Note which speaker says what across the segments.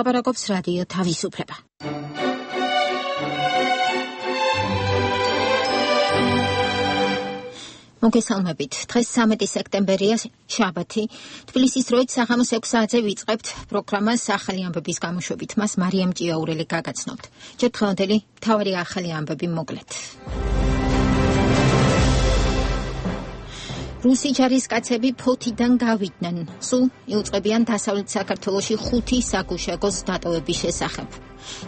Speaker 1: ლაპარაკობს რადიო თავისუფლება. მოგესალმებით. დღეს 13 სექტემბერია, შაბათი. თბილისის დროით საღამოს 6 საათზე ვიწყებთ პროგრამას ახალი ამბების გამოშვებით. მას მარიამ ჭიაურელი გაგაცნობთ. ჯერ დღევანდელი მთავარი ახალი ამბები მოკლედ. რუსი ჯარისკაცები ფოთიდან გავიდნენ. სულ იუწყებიან დასავლეთ საქართველოში 5 საგუშაგოს დატოვების შესახებ.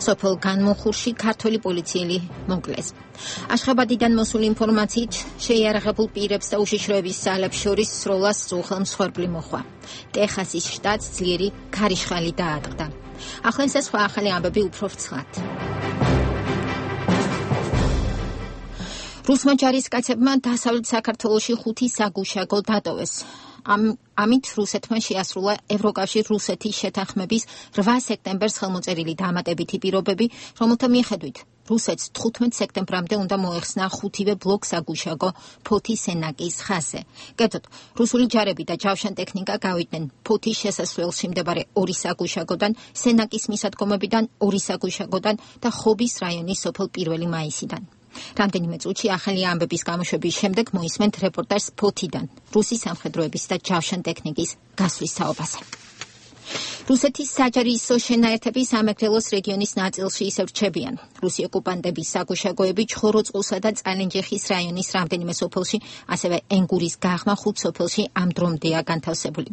Speaker 1: სოფელ განმოხურში ქართველი პოლიციელი მოკლეს. აშხაბადიდან მოსული ინფორმაციით შეიარაღებულ პირებს და უშიშროების ძალებს შორის სროლას უხელ მსხვერპლი მოხვა. ტეხასის შტატს ძლიერი ქარიშხალი დაატყდა. ახლა ეს სხვა ახალი ამბები უფრო ფრთხლად. რუსმა ჯარისკაცებმა დასავლეთ საქართველოში 5 საგუშაგო დატოვეს. ამით რუსეთმა შეასრულა ევროკავშირ-რუსეთის შეთანხმების 8 სექტემბერს ხელმოწერილი დამატებითი პირობები, რომელთა მიხედვით რუსეთს 15 სექტემბრამდე უნდა მოეხსნა 5-ვე ბლოკ საგუშაგო ფოთის სენაკის ხაზზე. კერძოდ, რუსული ჯარები და ჯავშან ტექნიკა გავიდნენ ფოთის შესასვლელში მდებარე 2 საგუშაგოდან, სენაკის მისადგომებიდან 2 საგუშაგოდან და ხობის რაიონის სოფელ 1 მაისიდან. რამდენიმე წუთში ახალი ამბების გამოშვების შემდეგ მოისმენთ რეპორტაჟს ფოთიდან, რუსი სამხედროების და ჯავშან ტექნიკის გასვლის თაობაზე. რუსეთის საჯარისო შენაერთები სამეგრელოს რეგიონის ნაწილში ისევ რჩებიან. რუსი ოკუპანტების საგუშაგოები ჩხოროწყლსა და წალენჯიხის რაიონის რამდენიმე სოფელში, ასევე ენგურის გაღმა 5 სოფელში ამ დრომდეა განთავსებული.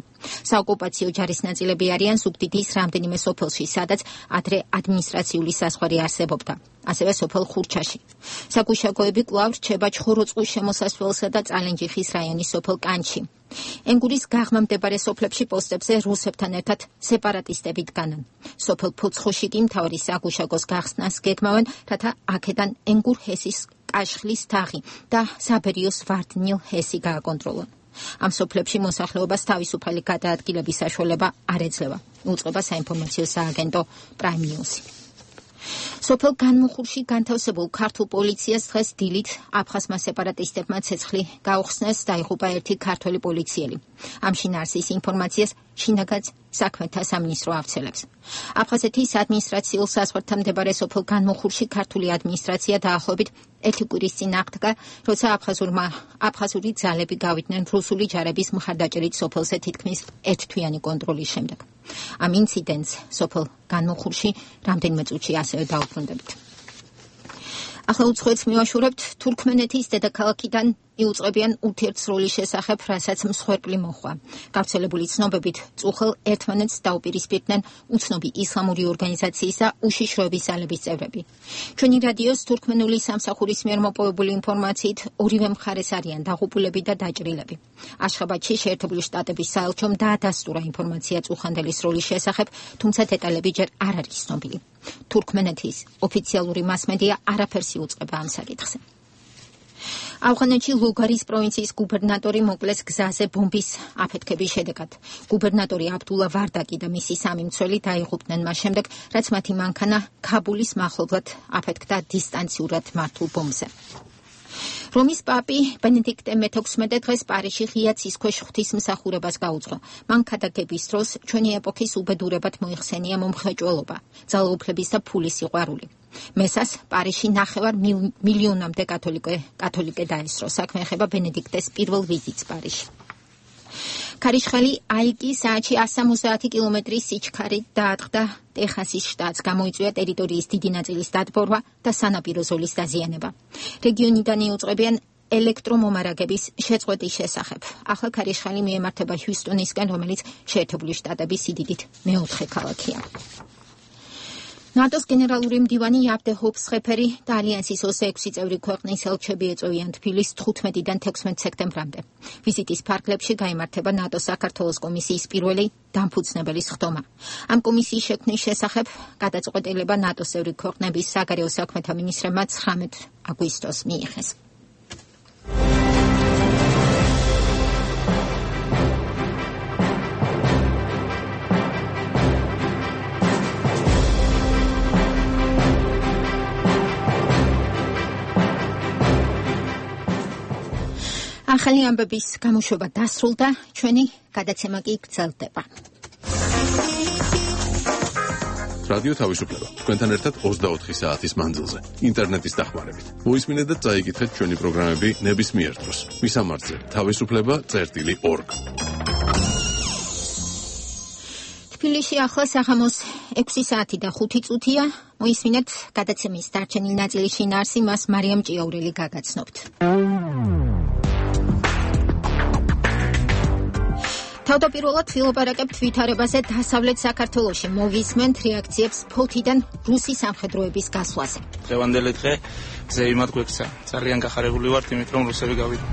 Speaker 1: საოკუპაციო ჯარის ნაწილები არიან ზუგდიდის რამდენიმე სოფელში, სადაც ადრე ადმინისტრაციული საზღვარი არსებობდა. ასევე სოფელ ხურჩაში. საგუშაგოები კვლავ რჩება ჩხოროწყლის შემოსასვლელსა და წალენჯიხის რაიონის სოფელ კანჩში. ენგურის გაღმა მდებარე სოფლებში პოსტებზე რუსებთან ერთად სეპარატისტები დგანან. სოფელ ფოცხოში კი მთავარი საგუშაგოს გახსნას გეგმავენ, რათა აქედან ენგურ ჰესის კაშხლის თაღი და საბერიოს ვარდნილ ჰესი გააკონტროლონ. ამ სოფლებში მოსახლეობას თავისუფალი გადაადგილების საშუალება არ ეძლევა. უწყება საინფორმაციო სააგენტო Prime News. სოფელ განმოხურში განთავსებულ ქართულ პოლიციას დღეს დილით აფხაზმა სეპარატისტებმა ცეცხლი გაუხსნეს, დაიღუპა ერთი ქართველი პოლიციელი. ამ შინაარსის ინფორმაციას შინაგან საქმეთა სამინისტრო ავრცელებს. აფხაზეთის ადმინისტრაციულ საზღვართან მდებარე სოფელ განმოხურში ქართული ადმინისტრაცია დაახლოებით 1 კვირის წინ აღდგა, როცა აფხაზური ძალები გავიდნენ რუსული ჯარების მხარდაჭერით სოფელზე თითქმის ერთთვიანი კონტროლის შემდეგ. ამ ინციდენტს სოფელ განმოხურში რამდენიმე წუთში ასევე დაუბრუნდებით. ახლა უცხოეთს მივაშურებთ. თურქმენეთის დედაქალაქიდან იუწყებიან ურთიერთსროლის შესახებ, რასაც მსხვერპლი მოხვა. გავრცელებული ცნობებით წუხელ ერთმანეთს დაუპირისპირდნენ უცნობი ისლამური ორგანიზაციის და უშიშროების ძალების წევრები. ჩვენი რადიოს თურქმენული სამსახურის მიერ მოპოვებული ინფორმაციით ორივე მხარეს არიან დაღუპულები და დაჭრილები. აშხაბადში შეერთებული შტატების საელჩომ დაადასტურა ინფორმაცია წუხანდელი სროლის შესახებ, თუმცა დეტალები ჯერ არ არის ცნობილი. თურქმენეთის ოფიციალური მასმედია არაფერს იუწყება ამ საკითხზე. ავღანეთში ლუგარის პროვინციის გუბერნატორი მოკლეს გზაზე ბომბის აფეთქების შედეგად. გუბერნატორი აბდულა ვარდაკი და მისი 3 მცველი დაიღუპნენ მას შემდეგ, რაც მათი მანქანა ქაბულის მახლობლად აფეთქდა დისტანციურად მართულ ბომბზე. რომის პაპი ბენედიქტე მე-16 დღეს პარიზში ღია ცისქვეშ ღვთისმსახურებას გაუძღო. მან ქადაგების დროს ჩვენი ეპოქის უბედურებად მოიხსენია მომხრეჭველობა, ძალაუფლების და ფულის სიყვარული. მესას პარიზში 9 მილიონამდე კათოლიკე დაესწრო. საქმე ეხება ბენედიქტეს პირველ ვიზიტს პარიზში. ქარიშხალი აიკი საათში 170 კილომეტრის სიჩქარით დაატყდა ტეხასის შტატს. გამოიწვია ტერიტორიის დიდი ნაწილის დატბორვა და სანაპირო ზოლის დაზიანება. რეგიონიდან იუწყებიან ელექტრომომარაგების შეწყვეტის შესახებ. ახლა ქარიშხალი მიემართება ჰიუსტონისკენ, რომელიც შეერთებული შტატების სიდიდით მე-4 ქალაქია. ნატოს გენერალური მდივანი იაბდე ჰოფსხეფერი და ალიანსის 26 წევრი ქვეყნის ელჩები ეწევიან თბილისს 15-დან 16 სექტემბრამდე. ვიზიტის ფარგლებში გაიმართება ნატოს საქართველოს კომისიის პირველი დამფუძნებელი სხდომა. ამ კომისიის შექმნის შესახებ გადაწყვეტილება ნატოს წევრი ქვეყნების საგარეო საქმეთა მინისტრებმა 19 აგვისტოს მიიღეს. ახალი ამბების გამოშვება დასრულდა, ჩვენი გადაცემა კი გრძელდება.
Speaker 2: რადიო თავისუფლება. თქვენთან ერთად 24 საათის მანძილზე. ინტერნეტის დახმარებით. მოისმინეთ და წაიკითხეთ ჩვენი პროგრამები ნებისმიერ დროს. მისამართზე თავისუფლება.org.
Speaker 1: თბილისში ახლა საღამოს 6 საათი და 5 წუთია. მოისმინეთ გადაცემის დარჩენილი ნაწილი შინაარსი, მას მარიამ ჭიაურელი გაგაცნობთ. თავდაპირველად ვილაპარაკებთ ვითარებაზე დასავლეთ საქართველოში. მოვისმენთ რეაქციებს ფოთიდან რუსი სამხედროების გასვლაზე.
Speaker 3: დღევანდელი დღე ზეიმად გვექცა. ძალიან გახარებული ვართ იმით, რომ რუსები გავიდა.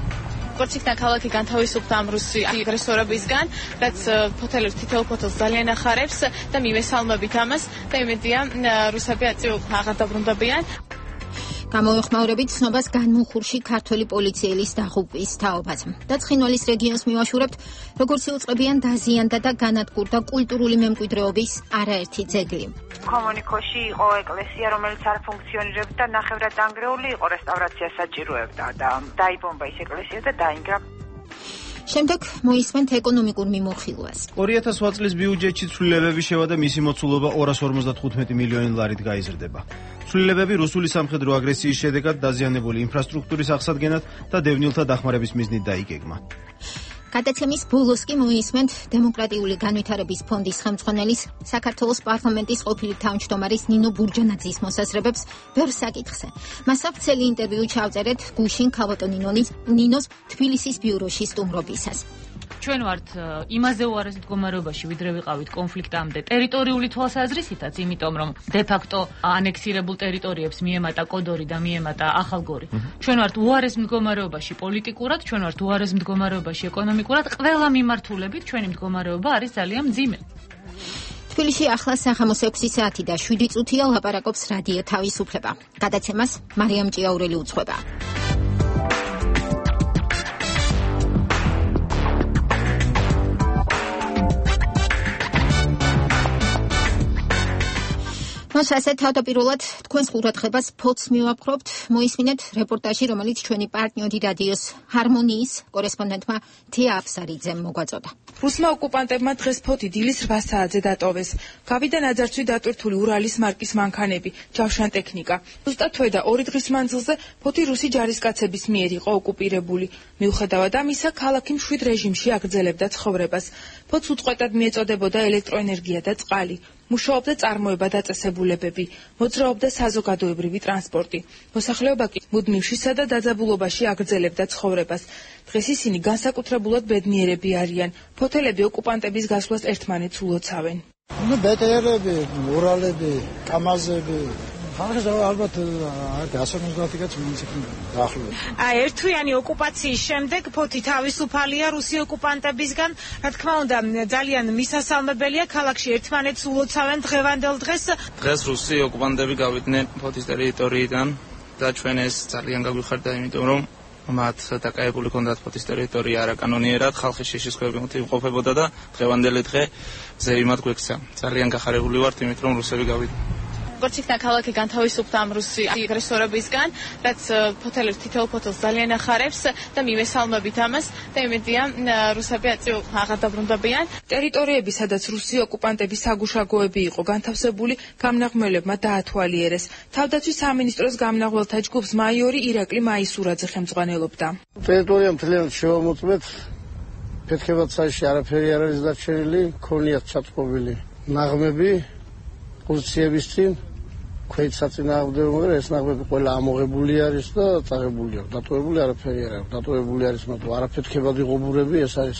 Speaker 4: კორჩიკთან ქალაქი განთავისუფლდა ამ რუსი აგრესორებისგან, რაც ფოთელებს თითოეულ ფოთელს ძალიან ახარებს და მივესალმებით ამას და იმედია რუსები აწილ აღარ დაბრუნდებიან.
Speaker 1: გამოეხმაურებით ცნობას განმუხურში ქართველი პოლიციელის დაღუპვის თაობაც. და ცხინვალის რეგიონს მივაშურებთ, როგორც იუწყებიან დაზიანდა და განადგურდა კულტურული მემკვიდრეობის არაერთი ძეგლი.
Speaker 5: კომუნიკოში იყო ეკლესია, რომელიც არ ფუნქციონირებდა, ნახევრად დანგრეული იყო, რესტავრაციას საჭიროებდა და დაიბომბა ის ეკლესია და დაინგრა.
Speaker 1: შემდეგ მოისმენთ ეკონომიკურ მიმოხილვას.
Speaker 6: 2008 წლის ბიუჯეტში ცვლილებები შევა და მისი მოცულობა 255 მილიონი ლარით გაიზრდება. ცვლილებები რუსული სამხედრო აგრესიის შედეგად დაზიანებული ინფრასტრუქტურის აღსადგენად და დევნილთა დახმარების მიზნით დაიგეგმა.
Speaker 1: გადაცემის ბოლოს კი მოისმენთ დემოკრატიული განვითარების ფონდის ხელმძღვანელის საქართველოს პარლამენტის ყოფილი თავმჯდომარის ნინო ბურჯანაძის მოსაზრებებს ბევრ საკითხზე. მას ვრცელი ინტერვიუ ჩავწერეთ გუშინ ქავატონინონის ნინოს თბილისის ბიუროში სტუმრობისას.
Speaker 7: ჩვენ ვართ იმაზე უარეს მდგომარეობაში, ვიდრე ვიყავით კონფლიქტამდე ტერიტორიული თვალსაზრისითაც, იმიტომ რომ დე-ფაქტო ანექსირებულ ტერიტორიებს მიემატა კოდორი და მიემატა ახალგორი. ჩვენ ვართ უარეს მდგომარეობაში პოლიტიკურად, ჩვენ ვართ უარეს მდგომარეობაში ეკონომიკურად, ყველა მიმართულებით ჩვენი მდგომარეობა არის ძალიან მძიმე.
Speaker 1: თბილისში ახლა საღამოს 6 საათი და 7 წუთია, ლაპარაკობს რადიო თავისუფლება. გადაცემას მარიამ ჭიაურელი უძღვება. მას ასე თავდაპირველად თქვენს ყურადღებას ფოთს მივაპყრობთ. მოისმინეთ რეპორტაჟი, რომელიც ჩვენი პარტნიორი რადიოს ჰარმონიის კორესპონდენტმა თეა აფსარიძემ მოგვაწოდა.
Speaker 8: რუსმა ოკუპანტებმა დღეს ფოთი დილის 8 საათზე დატოვეს. გავიდა ნაძარცვი დატვირთული ურალის მარკის მანქანები, ჯავშან ტექნიკა. ზუსტად თვე და 2 დღის მანძილზე ფოთი რუსი ჯარისკაცების მიერ იყო ოკუპირებული. მიუხედავად ამისა, ქალაქი მშვიდ რეჟიმში აგრძელებდა ცხოვრებას. ფოთს უწყვეტად მიეწოდებოდა ელექტროენერგია და წყალი. მუშაობდა წარმოება და წესებულებები, მოძრაობდა საზოგადოებრივი ტრანსპორტი. მოსახლეობა კი მუდმივშისა და დაძაბულობაში აგრძელებდა ცხოვრებას. დღეს ისინი განსაკუთრებულად ბედნიერები არიან. ფოთელები ოკუპანტების გასვლას ერთმანეთს ულოცავენ.
Speaker 9: ბეტერები, ურალები, კამაზები. ალბათ გასამოსგანათიკაც მუნიციპალიტეტი დაახლოებით.
Speaker 10: ერთთვიანი ოკუპაციის შემდეგ ფოთი თავისუფალია რუსი ოკუპანტებისგან. რა თქმა უნდა, ძალიან მისასალმებელია, ქალაქში ერთმანეთს ულოცავენ დღევანდელ დღეს.
Speaker 3: დღეს რუსი ოკუპანტები გავიდნენ ფოთის ტერიტორიიდან და ჩვენ ეს ძალიან გაგვიხარდა, იმიტომ რომ მათ დაკავებული ჰქონდათ ფოთის ტერიტორია არაკანონიერად, ხალხის შიშისქოებით იმყოფებოდა და დღევანდელი დღე ზეიმად გვექცა. ძალიან გახარებული ვართ იმით, რომ რუსები გავიდნენ.
Speaker 4: კორჩიკთან ქალაქი განთავისუფლდა ამ რუსი აგრესორებისგან, რაც ფოთელებს თითოეულ ფოთელს ძალიან ახარებს და მივესალმებით ამას და იმედია რუსები აწილ აღარ დაბრუნდებიან.
Speaker 8: ტერიტორიები, სადაც რუსი ოკუპანტების საგუშაგოები იყო განთავსებული, გამნაღმელებმა დაათვალიერეს. თავდაცვის სამინისტროს გამნაღველთა ჯგუფს მაიორი ირაკლი მაისურაძე ხელმძღვანელობდა.
Speaker 9: ტერიტორია მთლიანად შევამოწმეთ, ფეთქებად საერთოდ არაფერი არ არის დარჩენილი, ქონიათ ჩატყობილი ნაღმები პოზიციების წინ. ქვეით საწინააღმდეგო, ეს ნაღმები ყველა ამოღებული არის და წაღებული აქვს. დატოვებული არაფერი არ აქვს. დატოვებული არის მათო არაფეთქებადი ღობურები, ეს არის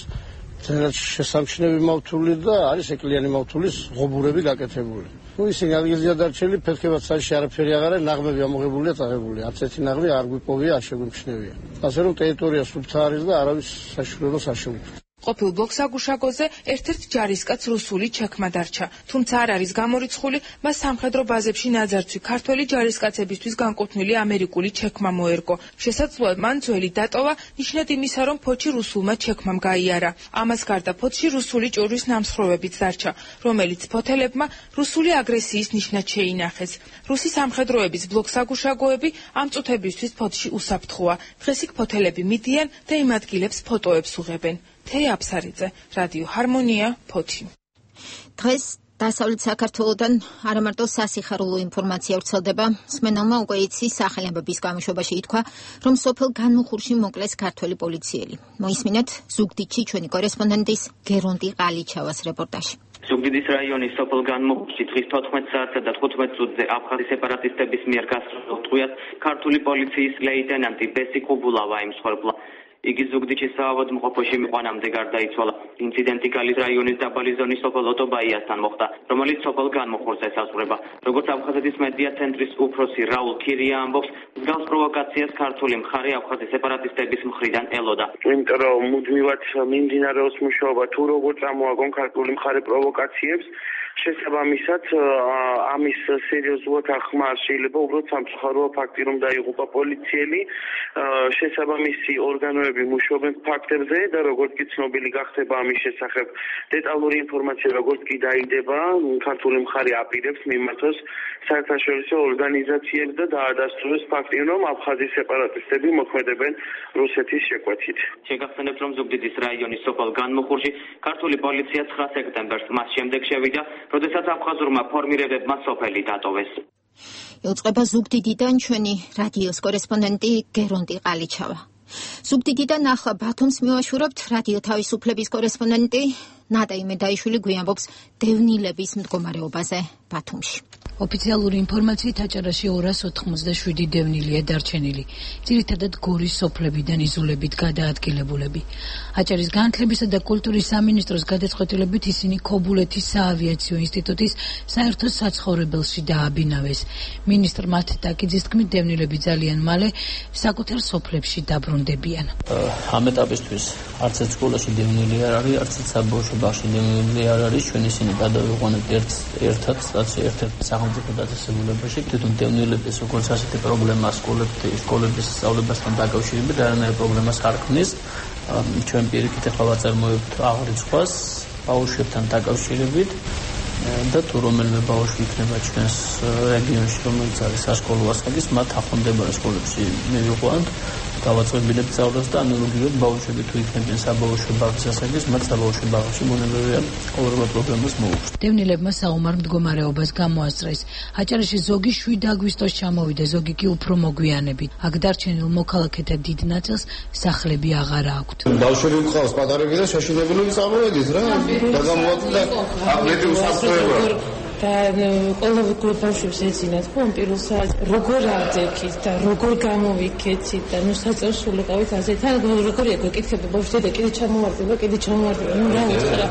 Speaker 9: ძალიან შესამჩნევი მავთული და არის ეკლიანი მავთულის ღობურები გაკეთებული. ისინი ადგილზეა დარჩენილი, ფეთქებად საერთოდ არაფერი აღარ არის, ნაღმები ამოღებულია, წაღებული. არც ერთი ნაღმი არ გვიპოვია, არ შეგვიმჩნევია. ასე რომ ტერიტორია სუფთა არის და არავის საშუალებას არ შეუძლია.
Speaker 8: ყოფილ ბლოკსაგუშაგოზე ერთ-ერთ ჯარისკაც რუსული ჩექმა დარჩა, თუმცა არ არის გამორიცხული, მას სამხედრო ბაზებში ნაძარცვი ქართველი ჯარისკაცებისთვის განკუთვნილი ამერიკული ჩექმა მოერგო. შესაძლოა მან ძველი დატოვა, ნიშნად იმისა, რომ ფოთში რუსულმა ჩექმამ გაიარა. ამას გარდა ფოთში რუსული ჭურვის ნამსხვრევებიც დარჩა, რომელიც ფოთელებმა რუსული აგრესიის ნიშნად შეინახეს. რუსი სამხედროების ბლოკსაგუშაგოები ამ წუთებისთვის ფოთში უსაფრთხოა. დღეს იქ ფოთელები მიდიან და იმ ადგილებს ფოტოებს უღებენ. თეა აფსარიძე, რადიო ჰარმონია, ფოთი.
Speaker 1: დღეს დასავლეთ საქართველოდან არა მარტო სასიხარულო ინფორმაცია ვრცელდება, მსმენელმა უკვე იცის სახელმწიფოს გამოშვებაში ითქვა, რომ სოფელ განმუხურში მოკლეს ქართველი პოლიციელი. მოისმინეთ ზუგდიდში ჩვენი კორესპონდენტის გერონტი ყალიჩავას რეპორტაჟი.
Speaker 11: ზუგდიდის რაიონის სოფელ განმუხურში დღის 14 საათსა და 15 წუთზე აფხაზის სეპარატისტების მიერ გასროლ ტყვიას ქართული პოლიციის ლეიტენანტი ბესი კუბულავა იმსხვერპლა. იგი ზუგდიდში საავადმყოფოში მიყვანამდე გარდაიცვალა. ინციდენტი გალის რაიონის დაბალი ზონის სოფელ ოტობაიასთან მოხდა, რომელიც სოფელ განმუხურს ესაზღვრება. როგორც აფხაზეთის მედია ცენტრის უფროსი რაულ ქირია ამბობს, მსგავს პროვოკაციას ქართული მხარე აფხაზის სეპარატისტების მხრიდან ელოდა.
Speaker 12: იმიტომ რომ მუდმივად მიმდინარეობს მუშაობა თუ როგორ წამოაგონ ქართული მხარე პროვოკაციებს, შესაბამისად ამის სერიოზულად ახმა შეიძლება უბრალოდ სამწუხაროა ფაქტი რომ დაიღუპა პოლიციელი, შესაბამისი ორგანოები მუშაობენ ფაქტებზე და როგორც კი ცნობილი გახდება ამის შესახებ დეტალური ინფორმაცია როგორც კი დაიდება, ქართული მხარე აპირებს მიმართოს საერთაშორისო ორგანიზაციებს და დაადასტუროს ფაქტი რომ აფხაზის სეპარატისტები მოქმედებენ რუსეთის შეკვეთით.
Speaker 11: შეგახსენებთ რომ ზუგდიდის რაიონის სოფელ განმუხურში ქართული პოლიცია 9 სექტემბერს მას შემდეგ შევიდა, როდესაც აფხაზურმა ფორმირებებმა სოფელი დატოვეს.
Speaker 1: იუწყება ზუგდიდიდან ჩვენი რადიოს კორესპონდენტი გერონტი ყალიჩავა. ზუგდიდიდან ახლა ბათუმს მივაშურებთ რადიო თავისუფლების კორესპონდენტი ნადა იმედაიშვილი გვიამბობს დევნილების მდგომარეობაზე ბათუმში.
Speaker 13: ოფიციალური ინფორმაციით აჭარაში 287 დევნილია დარჩენილი, ძირითადად გორის სოფლებიდან იზოლებით გადაადგილებულები. აჭარის განათლებისა და კულტურის სამინისტროს გადაწყვეტილებით ისინი ქობულეთის საავიაციო ინსტიტუტის საერთო საცხოვრებელში დააბინავეს. მინისტრ მათ ტაკიძის თქმით, დევნილები ძალიან მალე საკუთარ სოფლებში დაბრუნდებიან.
Speaker 14: ამ ეტაპისთვის არც ერთ სკოლაში დევნილი არ არის, არც ერთ საბავშვო ბაღში დევნილი არ არის. ჩვენ ისინი გადავიყვანებთ ერთად, ერთ-ერთ სახელმწიფო დაწესებულებაში. თვითონ დევნილების როგორც ასეთი პრობლემა სკოლების სწავლებასთან დაკავშირებით არანაირ პრობლემას არ ქმნის. ჩვენ პირიქით ახლა ვაწარმოებთ აღრიცხვას ბავშვებთან დაკავშირებით და თუ რომელიმე ბავშვი იქნება ჩვენს რეგიონში, რომელიც არის საშკოლო ასაკის, მათ ახლომდებარე სკოლებში მივიყვანთ, დავაწყებინებთ სწავლას და ანალოგიურად ბავშვები თუ იქნებიან საბავშვო ბაღის ასაკის, მათ საბავშვო ბაღში მონებრივია ყოველგვარ პრობლემას მოუხსნათ.
Speaker 13: დევნილებმა საომარ მდგომარეობას გამოასწრეს. აჭარაში ზოგი 7 აგვისტოს ჩამოვიდა, ზოგი კი უფრო მოგვიანებით. აქ დარჩენილ მოქალაქეთა დიდ ნაწილს სახლები აღარ აქვთ.
Speaker 15: ბავშვები მყავს პატარები და შეშინებული წამოვედით რა. და გამოაკლდა აბლეთი უსაფრთხოება.
Speaker 16: და ყველა ბავშვებს ეძინათ ხომ პირველ საათს როგორ ავდექით და როგორ გამოვიქეცით და ნუ საწესულიყავით ასეთ თან როგორია გეკითხება ბავშვი და კიდე ჩამოვარდება ნუ რა უთხრა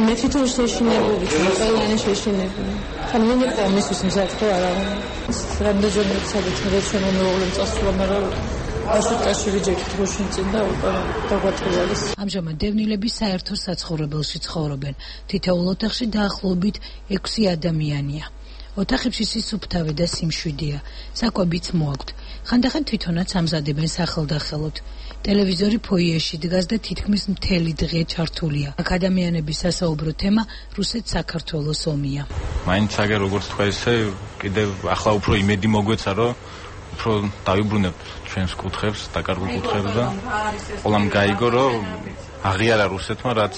Speaker 16: მე თვითონ შეშინებული ყველანი შეშინებული თან მე ნეყო მისთვის მსახო არა რამდენჯერმე სადაც მე ჩვენ მომეულებ წასულა მაგრამ ასეთაში ჯექით როშინწინ და დაგვატყუალის.
Speaker 13: ამჟამად დევნილები საერთო საცხოვრებელში ცხოვრობენ. თითოეულ ოთახში დაახლოებით 6 ადამიანია. ოთახებში სისუფთავე და სიმშვიდეა. საკვებიც მოაქვთ. ხანდახან თვითონაც ამზადებენ სახელდახელოდ. ტელევიზორი ფოიეში დგას და თითქმის მთელი დღე ჩართულია. აქ ადამიანების სასაუბრო თემა რუსეთ-საქართველოს ომია.
Speaker 17: მაინც აგერ როგორც თქვა ესე კიდევ ახლა უფრო იმედი მოგვეცა რომ უფრო დავიბრუნებთ ჩვენს კუთხებს, დაკარგულ კუთხებს და ყველამ გაიგო, რომ აღიარა რუსეთმა, რაც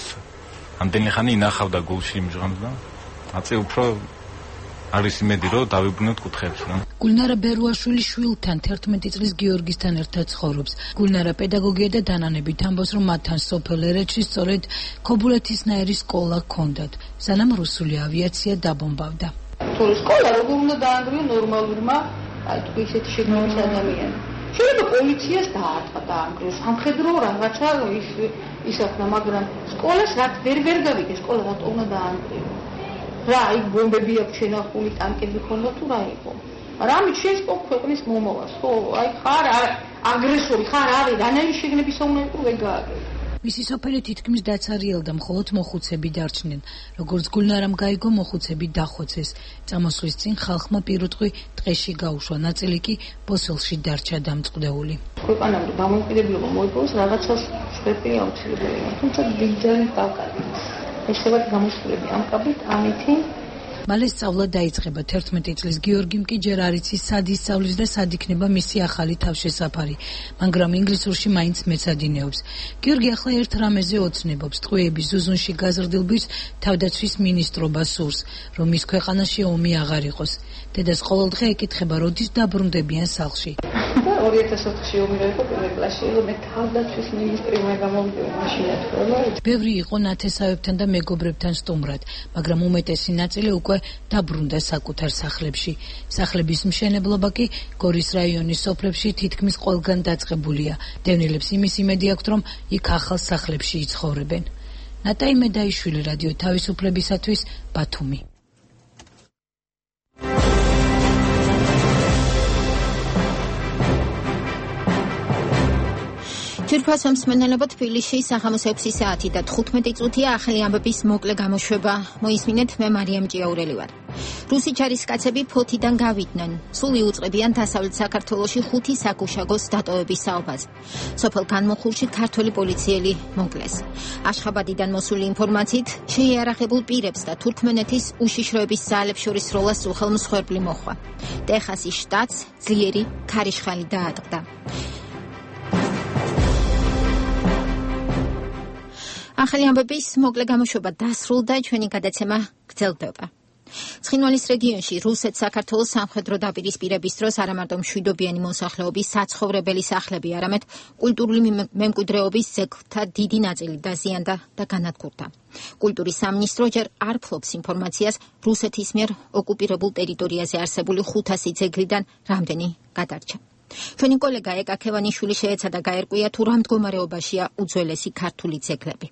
Speaker 17: ამდენი ხანი ინახავდა გულში იმჟღამს და აწე უფრო არის იმედი, რომ დავიბრუნებთ კუთხებს რა.
Speaker 13: გულნარა ბერუაშვილი შვილთან 11 წლის გიორგისთან ერთად ცხოვრობს. გულნარა პედაგოგია და დანანებით ამბობს, რომ მათთან სოფელ ერეთში სწორედ ქობულეთისნაირი სკოლა ჰქონდათ, სანამ რუსული ავიაცია დაბომბავდა.
Speaker 18: თუ სკოლა როგორ უნდა დაანგრიო ნორმალურმა აი თუ ისეთი შეგნობის ადამიანი. შეიძლება პოლიციას დაანგრიოს, სამხედრო რაღაცა ისახნა, მაგრამ სკოლას რაც ვერ გავიგე, სკოლა რატო უნდა დაანგრიო? რა, იქ ბომბები აქვს შენახული, ტანკები ხონდა თუ რა იყო? მაგრამ ამით შეწყო ქვეყნის მომავალს, ხო? აი ხარ აგრესორი, ხარ არის, რანაირი შეგნებისა უნდა იყო ვერ გააგებია.
Speaker 13: მისი სოფელი თითქმის დაცარიელდა, მხოლოდ მოხუცები დარჩნენ. როგორც გულნარამ გაიგო, მოხუცები დახოცეს. წამოსვლის წინ ხალხმა პირუტყვი ტყეში გაუშვა, ნაწილი კი ბოსელში დარჩა დამწყდეული.
Speaker 18: ქვეყანამდე დამოუკიდებლობა მოიპოვოს, რაღაცას შვები აუცილებელია. თუმცა დიდძალი ტალკარი. ეს ხება გამოსვლები ამ კაბით, ამითი
Speaker 13: მალე სწავლა დაიწყება 11 წლის. გიორგიმ კი ჯერ არ იცის სად ისწავლის და სად იქნება მისი ახალი თავშესაფარი, მაგრამ ინგლისურში მაინც მეცადინეობს. გიორგი ახლა ერთ რამეზე ოცნებობს, ტყვეების ზუზუნში გაზრდილ ბიჭს თავდაცვის მინისტრობა სურს, რომ მის ქვეყანაში ომი აღარ იყოს. დედას ყოველდღე ეკითხება, როდის დაბრუნდებიან სახლში.
Speaker 18: 2004-ში ომი რო იყო პირველ კლასში, მე თავდაცვის მინისტრი უნდა გამოვიდე მაშინა თქო.
Speaker 13: ბევრი იყო ნათესავებთან და მეგობრებთან სტუმრად, მაგრამ უმეტესი ნაწილი უკვე დაბრუნდა საკუთარ სახლებში. სახლების მშენებლობა კი გორის რაიონის სოფლებში თითქმის ყველგან დაწყებულია. დევნილებს იმის იმედი აქვთ, რომ იქ ახალ სახლებში იცხოვრებენ. ნატაი მედაიშვილი, რადიო თავისუფლებისათვის, ბათუმი.
Speaker 1: ჯერფას მსმენელებო, თბილისში საღამოს 6 საათი და 15 წუთია ახალი ამბების მოკლე გამოშვება. მოისმინეთ, მე მარიამ ჭიაურელი ვარ. რუსი ჯარისკაცები ფოთიდან გავიდნენ. სულ იუწყებიან დასავლეთ საქართველოში 5 საგუშაგოს დატოვების საუბარს. სოფელ განმოხურში ქართველი პოლიციელი მოკლეს. აშხაბადიდან მოსული ინფორმაციით, შეიარაღებულ პირებს და თურქმენეთის უშიშროების ძალებს შორის როლას უხელმსხვერპლი მოხვა. ტეხასის შტატს ძლიერი ქარიშხალი დაატყდა. ახალი ამბების მოკლე გამოშვება დასრულდა, ჩვენი გადაცემა გრძელდება. ცხინვალის რეგიონში რუსეთ-საქართველოს სამხედრო დაპირისპირების დროს არა მარტო მშვიდობიანი მოსახლეობის საცხოვრებელი სახლები, არამედ კულტურული მემკვიდრეობის ძეგლთა დიდი ნაწილი დაზიანდა და განადგურდა. კულტურის სამინისტრო ჯერ არ ფლობს ინფორმაციას რუსეთის მიერ ოკუპირებულ ტერიტორიაზე არსებული 500 ძეგლიდან რამდენი გადარჩა. ჩვენი კოლეგა ეკა ქევანიშვილი შეეცადა გაერკვია თუ რა მდგომარეობაშია უძველესი ქართული ძეგლები.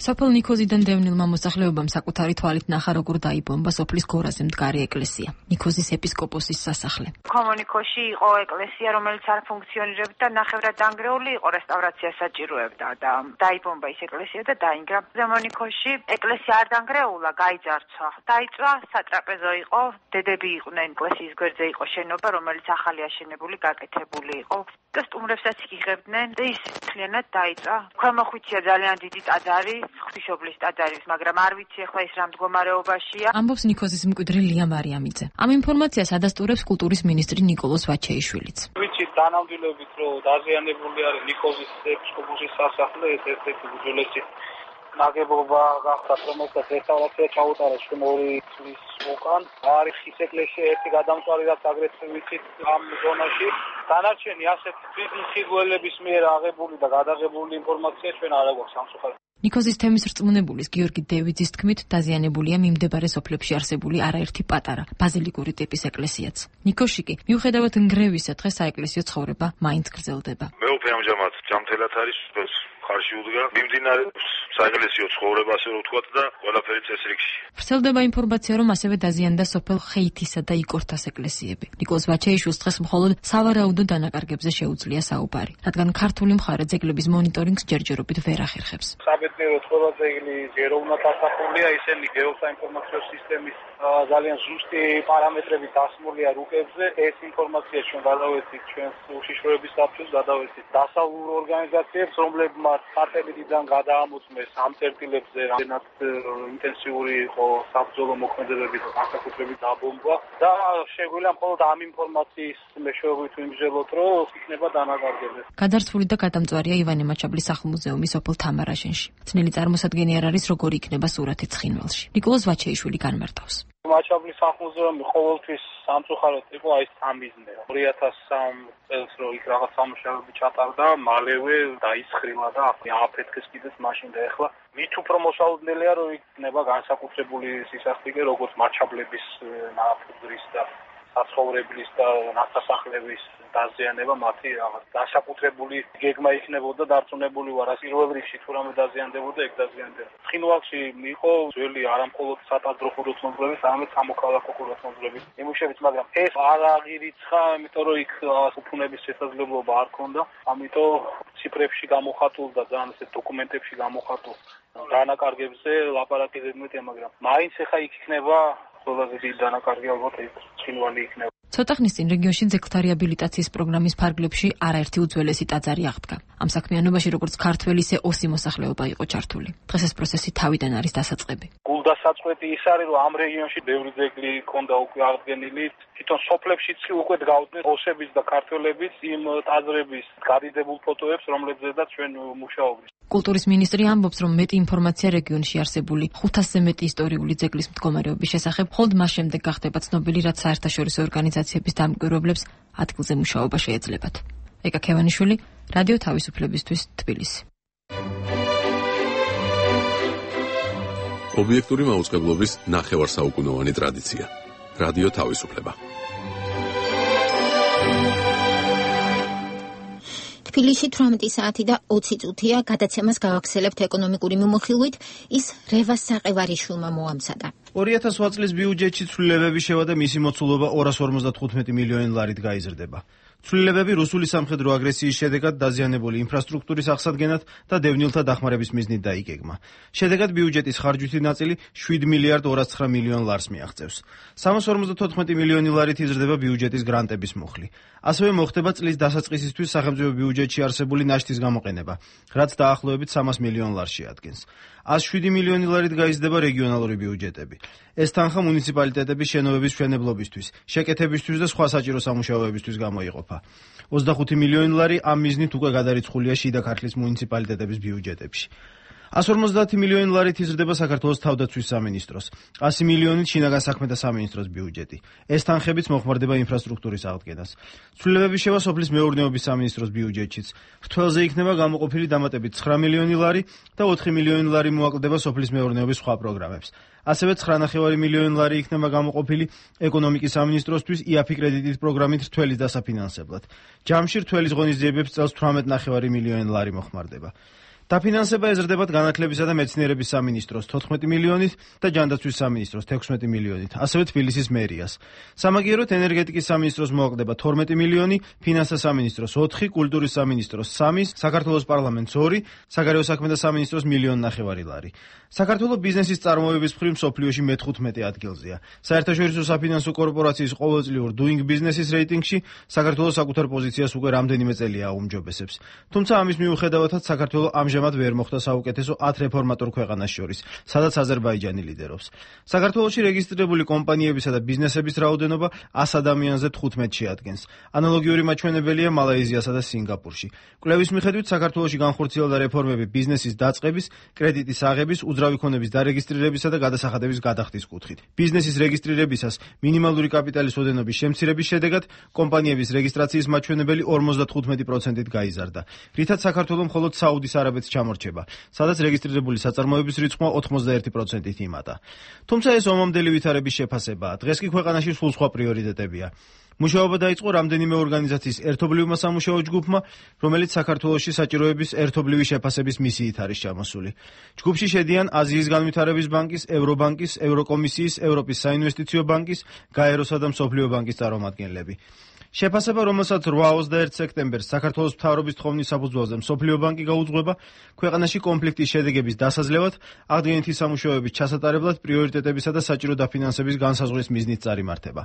Speaker 19: სოფელ ნიქოზიდან დევნილმა მოსახლეობამ საკუთარი თვალით ნახა, როგორ დაიბომბა სოფლის გორაზე მდგარი ეკლესია, ნიქოზის ეპისკოპოსის სასახლე.
Speaker 5: კომუნიკოში იყო ეკლესია, რომელიც არ ფუნქციონირებდა და ნახევრად დანგრეული იყო, რესტავრაციას საჭიროებდა და დაიბომბა ის ეკლესია და დაინგრა. ზემონიქოში ეკლესია არ დანგრეულა, გაიძარცვა. დაიწვა, სატრაპეზო იყო, დედები იყვნენ, ეკლესიის გვერდზე იყო შენობა, რომელიც ახალი აშენებული, გაკეთებული იყო. და სტუმრებსაც იღებდნენ და ის მთლიანად დაიწვა. ქვემოხვიცია ძალიან დიდი ტაძარი, ღვთისმშობლის ტაძარი, მაგრამ არ ვიცი ახლა ის რა მდგომარეობაშია.
Speaker 19: ამბობს ნიქოზის მკვიდრი ლია მარიამიძე. ამ ინფორმაციას ადასტურებს კულტურის მინისტრი ნიკოლოზ ვაჩეიშვილიც.
Speaker 3: ვიცით დანამდვილებით, რომ დაზიანებული არის ნიქოზის ეპისკოპოსის სასახლე, ეს ერთ-ერთი უძველესი ნაგებობა გახდა, რომელსაც რესტავრაცია ჩაუტარეს ჩვენ 2 წლის უკან. არის ხის ეკლესია ერთი გადამწვარი, რაც აგრეთვე ვიცით ამ ზონაში. დანარჩენი ასეთ მხედველების მიერ აღებული და გადაღებული ინფორმაცია ჩვენ არ აქვს სამწუხაროდ.
Speaker 19: ნიქოზის თემის რწმუნებულის გიორგი დევიძის თქმით, დაზიანებულია მიმდებარე სოფლებში არსებული არაერთი პატარა ბაზილიკური ტიპის ეკლესიაც. ნიქოში კი, მიუხედავად ნგრევისა, დღეს საეკლესიო ცხოვრება მაინც გრძელდება.
Speaker 20: მეუფე ამჟამად ჯამთელად არის, ხარში უდგა. მიმდინარეობს საეკლესიო ცხოვრება, ასე რომ ვთქვათ, და ყველაფერი წესრიგში.
Speaker 19: ვრცელდება ინფორმაცია, რომ ასევე დაზიანდა სოფელ ხეითისა და იკორთას ეკლესიები. ნიკოლოზ ვაჩეიშვილს დღეს მხოლოდ სავარაუდო დანაკარგებზე შეუძლია საუბარი, რადგან ქართული მხარე ძეგლების მონიტორინგს ჯერჯერობით ვერ ახერხებს.
Speaker 3: საბედნიეროდ ყველა ძეგლი ჯეროვნად ასახულია, ისინი გეოსაინფორმაციო სისტემის ძალიან ზუსტი პარამეტრებით დასმულია რუკებზე. ეს ინფორმაცია ჩვენ გადავეცით ჩვენს უშიშროების საბჭოს, გადავეცით დასავლურ ორგანიზაციებს, რომლებმაც სატელიტიდან გადაამოწმეს ამ წერტილებზე რამდენად ინტენსიური იყო საბრძოლო მოქმედებები და განსაკუთრებით დაბომბვა და შეგვიძლია მხოლოდ ამ ინფორმაციის მეშვეობით ვიმსჯელოთ, რომ იქნება დანაკარგები.
Speaker 19: გადარცვული და გადამწვარია ივანე მაჩაბლის სახლ-მუზეუმი სოფელ თამარაშენში. ძნელი წარმოსადგენი არ არის, როგორი იქნება სურათი ცხინვალში. ნიკოლოზ ვაჩეიშვილი განმარტავს.
Speaker 3: მაჩაბლის სახლ-მუზეუმი ყოველთვის სამწუხაროდ იყო აი სამიზნე. 2003 წელს რო იქ რაღაც სამუშაოები ჩატარდა, მალევე დაისხრილა და აფეთქეს კიდეც მაშინ და ეხლა მით უფრო მოსაუდნელია, რომ იქნება განსაკუთრებული სისასტიკე, როგორც მაჩაბლების ნაფუძრის და საცხოვრებლის და ნასახლების დაზიანება, მათი რაღაც განსაკუთრებული გეგმა იქნებოდა დარწმუნებული ვარ, პირველ რიგში თუ რამე დაზიანდებოდა, ეგ დაზიანდება. ცხინვალში იყო ძველი არამხოლოდ სატაძრო ხუროთმოძღვრების, არამედ სამოქალაქო ხუროთმოძღვრების ნიმუშებიც, მაგრამ ეს არ აღირიცხა, იმიტომ რომ იქ უფუნების შესაძლებლობა არ ქონდა, ამიტომ ციფრებში გამოხატულ და ძალიან ისეთ დოკუმენტებში გამოხატულ დანაკარგებზე ლაპარაკი ზედმეტია, მაგრამ მაინც ახლა იქ იქნება ყველაზე დიდი დანაკარგი, ალბათ ცხინვალი იქნება.
Speaker 19: ცოტა ხნის წინ რეგიონში ძეგლთა რეაბილიტაციის პროგრამის ფარგლებში არაერთი უძველესი ტაძარი აღდგა. ამ საქმიანობაში როგორც ქართველი, ისე ოსი მოსახლეობა იყო ჩართული. დღეს ეს პროცესი თავიდან არის დასაწყები.
Speaker 21: გულდასაწყვეტი ის არის, რომ ამ რეგიონში ბევრი ძეგლი ქონდა უკვე აღდგენილი. თვითონ სოფლებშიც უკვე გავდნენ ოსების და ქართველების იმ ტაძრების გადიდებულ ფოტოებს, რომლებზედაც ჩვენ მუშაობთ.
Speaker 19: კულტურის მინისტრი ამბობს, რომ მეტი ინფორმაცია რეგიონში არსებული 500-ზე მეტი ისტორიული ძეგლის მდგომარეობის შესახებ მხოლოდ მას შემდეგ გახდება ცნობილი, რაც საერთაშორისო ორგანიზაციების დამკვირვებლებს ადგილზე მუშაობა შეეძლებათ. ეკა ქევანიშვილი, რადიო თავისუფლებისთვის, თბილისი.
Speaker 2: ობიექტური მაუწყებლობის ნახევარსაუკუნოვანი ტრადიცია. რადიო თავისუფლება.
Speaker 1: თბილისში 18 საათი და 20 წუთია გადაცემას გავახსენებთ ეკონომიკური მიმოხილვით, ის რევას საყევარიშვილმა მოამზადა.
Speaker 6: 2008 წლის ბიუჯეტში ცვლილებები შევა და მისი მოცულობა 255 მილიონი ლარით გაიზრდება. ცვლილებები რუსული სამხედრო აგრესიის შედეგად დაზიანებული ინფრასტრუქტურის აღსადგენად და დევნილთა დახმარების მიზნით დაიგეგმა. შედეგად ბიუჯეტის ხარჯვითი ნაწილი 7 მილიარდ 209 მილიონ ლარს მიაღწევს. 354 მილიონი ლარით იზრდება ბიუჯეტის გრანტების მუხლი. ასევე მოხდება წლის დასაწყისისთვის სახელმწიფო ბიუჯეტში არსებული ნაშთის გამოყენება, რაც დაახლოებით 300 მილიონ ლარს შეადგენს. 107 მილიონი ლარით გაიზრდება რეგიონალური ბიუჯეტები. ეს თანხა მუნიციპალიტეტების შენობების მშენებლობისთვის, შეკეთებისთვის და სხვა საჭირო სამუშაოებისთვის გამოიყოფა. 25 მილიონი ლარი ამ მიზნით უკვე გადარიცხულია შიდა ქართლის მუნიციპალიტეტების ბიუჯეტებში. 150 მილიონი ლარით იზრდება საქართველოს თავდაცვის სამინისტროს, 100 მილიონით შინაგან საქმეთა სამინისტროს ბიუჯეტი. ეს თანხებიც მოხმარდება ინფრასტრუქტურის აღდგენას. ცვლილებები შევა სოფლის მეურნეობის სამინისტროს ბიუჯეტშიც. მრთველზე იქნება გამოყოფილი დამატებით 9 მილიონი ლარი და 4 მილიონი ლარი მოაკლდება სოფლის მეურნეობის სხვა პროგრამებს. ასევე 9,5 მილიონი ლარი იქნება გამოყოფილი ეკონომიკის სამინისტროსთვის იაფი კრედიტის პროგრამით რთველის დასაფინანსებლად. ჯამში რთველის ღონისძიებებს წელს 18,5 მილიონი ლარი მოხმარდება. დაფინანსება ეზრდებათ განათლებისა და მეცნიერების სამინისტროს 14 მილიონით და ჯანდაცვის სამინისტროს 16 მილიონით, ასევე თბილისის მერიას. სამაგიეროდ ენერგეტიკის სამინისტროს მოაკლდება 12 მილიონი, ფინანსთა სამინისტროს 4, კულტურის სამინისტროს 3, საქართველოს პარლამენტს 2, საგარეო საქმეთა სამინისტროს 1,5 მილიონი ლარი. საქართველოს ბიზნესის წარმოების მხრივ მსოფლიოში მე-15 ადგილზეა. საერთაშორისო საფინანსო კორპორაციის ყოველწლიურ Doing Business-ის რეიტინგში საქართველოს საკუთარ პოზიციას უკვე რამდენიმე წელია აუმჯობესებს. თუმცა ამის მიუხედავად საქართველოს ამჟამად ვერ მოხდა საუკეთესო 10 რეფორმატორ ქვეყანას შორის, სადაც აზერბაიჯანი ლიდერობს. საქართველოში რეგისტრირებული კომპანიებისა და ბიზნესების რაოდენობა 100 ადამიანზე 15 შეადგენს. ანალოგიური მაჩვენებელია მალაიზიასა და სინგაპურში. კვლევის მიხედვით საქართველოში განხორციელდა რეფორმები ბიზნესის დაწყების, კრედიტის აღების, უძრავი ქონების დარეგისტრირებისა და გადასახადების გადახდის კუთხით. ბიზნესის რეგისტრირებისას მინიმალური კაპიტალის ოდენობის შემცირების შედეგად კომპანიების რეგისტრაციის მაჩვენებელი 55%-ით გაიზარდა, რითაც საქართველოს მხოლოდ საუდის არაბეთს ჩამორჩება, სადაც რეგისტრირებული საწარმოების რიცხვმა 81%-ით იმატა. თუმცა ეს ომამდელი ვითარების შეფასებაა. დღეს კი ქვეყანაში სულ სხვა პრიორიტეტებია. მუშაობა დაიწყო რამდენიმე ორგანიზაციის ერთობლივმა სამუშაო ჯგუფმა, რომელიც საქართველოში საჭიროების ერთობლივი შეფასების მისიით არის ჩამოსული. ჯგუფში შედიან აზიის განვითარების ბანკის, ევრობანკის, ევროკომისიის, ევროპის საინვესტიციო ბანკის, გაეროსა და მსოფლიო ბანკის წარმომადგენლები. შეფასება, რომელსაც 8-21 სექტემბერს საქართველოს მთავრობის თხოვნის საფუძველზე მსოფლიო ბანკი გაუძღვება, ქვეყანაში კონფლიქტის შედეგების დასაძლევად, აღდგენითი სამუშაოების ჩასატარებლად, პრიორიტეტებისა და საჭირო დაფინანსების განსაზღვრის მიზნით წარიმართება.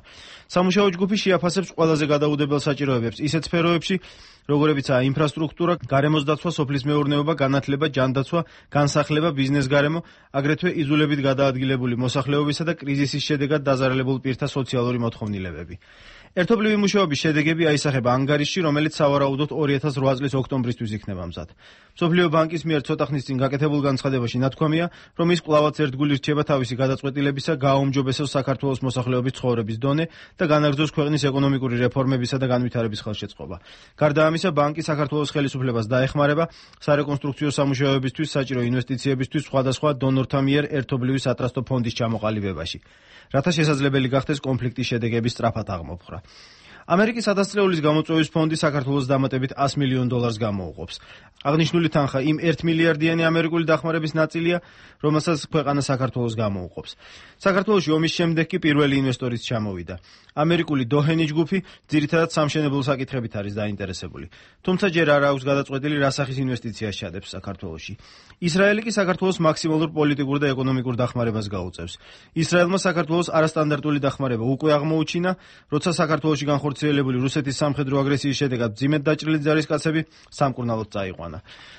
Speaker 6: სამუშაო ჯგუფი შეაფასებს ყველაზე გადაუდებელ საჭიროებებს ისეთ სფეროებში, როგორებიცაა ინფრასტრუქტურა, გარემოს დაცვა, სოფლის მეურნეობა, განათლება, ჯანდაცვა, განსახლება, ბიზნეს-გარემო, აგრეთვე იზოლებით გადაადგილებული მოსახლეობისა და კრიზისის შედეგად დაზარალებულ პირთა სოციალური მოთხოვნილებები. ერთობლივი მუშაობის შედეგები აისახება ანგარიშში, რომელიც სავარაუდოდ 2008 წლის ოქტომბრისთვის იქნება მზად. მსოფლიო ბანკის მიერ ცოტა ხნის წინ გაკეთებულ განცხადებაში ნათქვამია, რომ ის კვლავაც ერთგული რჩება თავისი გადაწყვეტილებისა გააუმჯობესოს საქართველოს მოსახლეობის ცხოვრების დონე და განაგრძოს ქვეყნის ეკონომიკური რეფორმებისა და განვითარების ხელშეწყობა. გარდა ამისა, ბანკი საქართველოს ხელისუფლებას დაეხმარება სარეკონსტრუქციო სამუშაოებისთვის, საჭირო ინვესტიციებისთვის სხვადასხვა დონორთა მიერ ერთობლივი სატრასტო ფონდის ჩამოყალიბებაში, რათა შესაძლებელი გახდეს კონფლიქტის შედეგების სწრაფად აღმოფხვრა. ამერიკის ადასტრეულის გამოწვევის ფონდი საქართველოს დამატებით $100 მილიონ გამოუყოფს. აღნიშნული თანხა იმ 1 მილიარდიანი ამერიკული დახმარების ნაწილია, რომელსაც ქვეყანა საქართველოს გამოუყოფს. საქართველოში ომის შემდეგ კი პირველი ინვესტორიც ჩამოვიდა. ამერიკული დოჰენი ჯგუფი ძირითადად სამშენებლო საკითხებით არის დაინტერესებული. თუმცა ჯერ არ აქვს გადაწყვეტილი რა სახის ინვესტიციას ჩადებს საქართველოში. ისრაელი კი საქართველოს მაქსიმალურ პოლიტიკურ და ეკონომიკურ დახმარებას გაუწევს. ისრაელმა საქართველოს არასტანდარტული დახმარება უკვე აღმოუჩინა, როცა საქართველოში განხორციელებული რუსეთის სამხედრო აგრესიის შედეგად მძიმედ დაჭრილი ჯარისკაცები სამკურნალოდ წაიყვანა.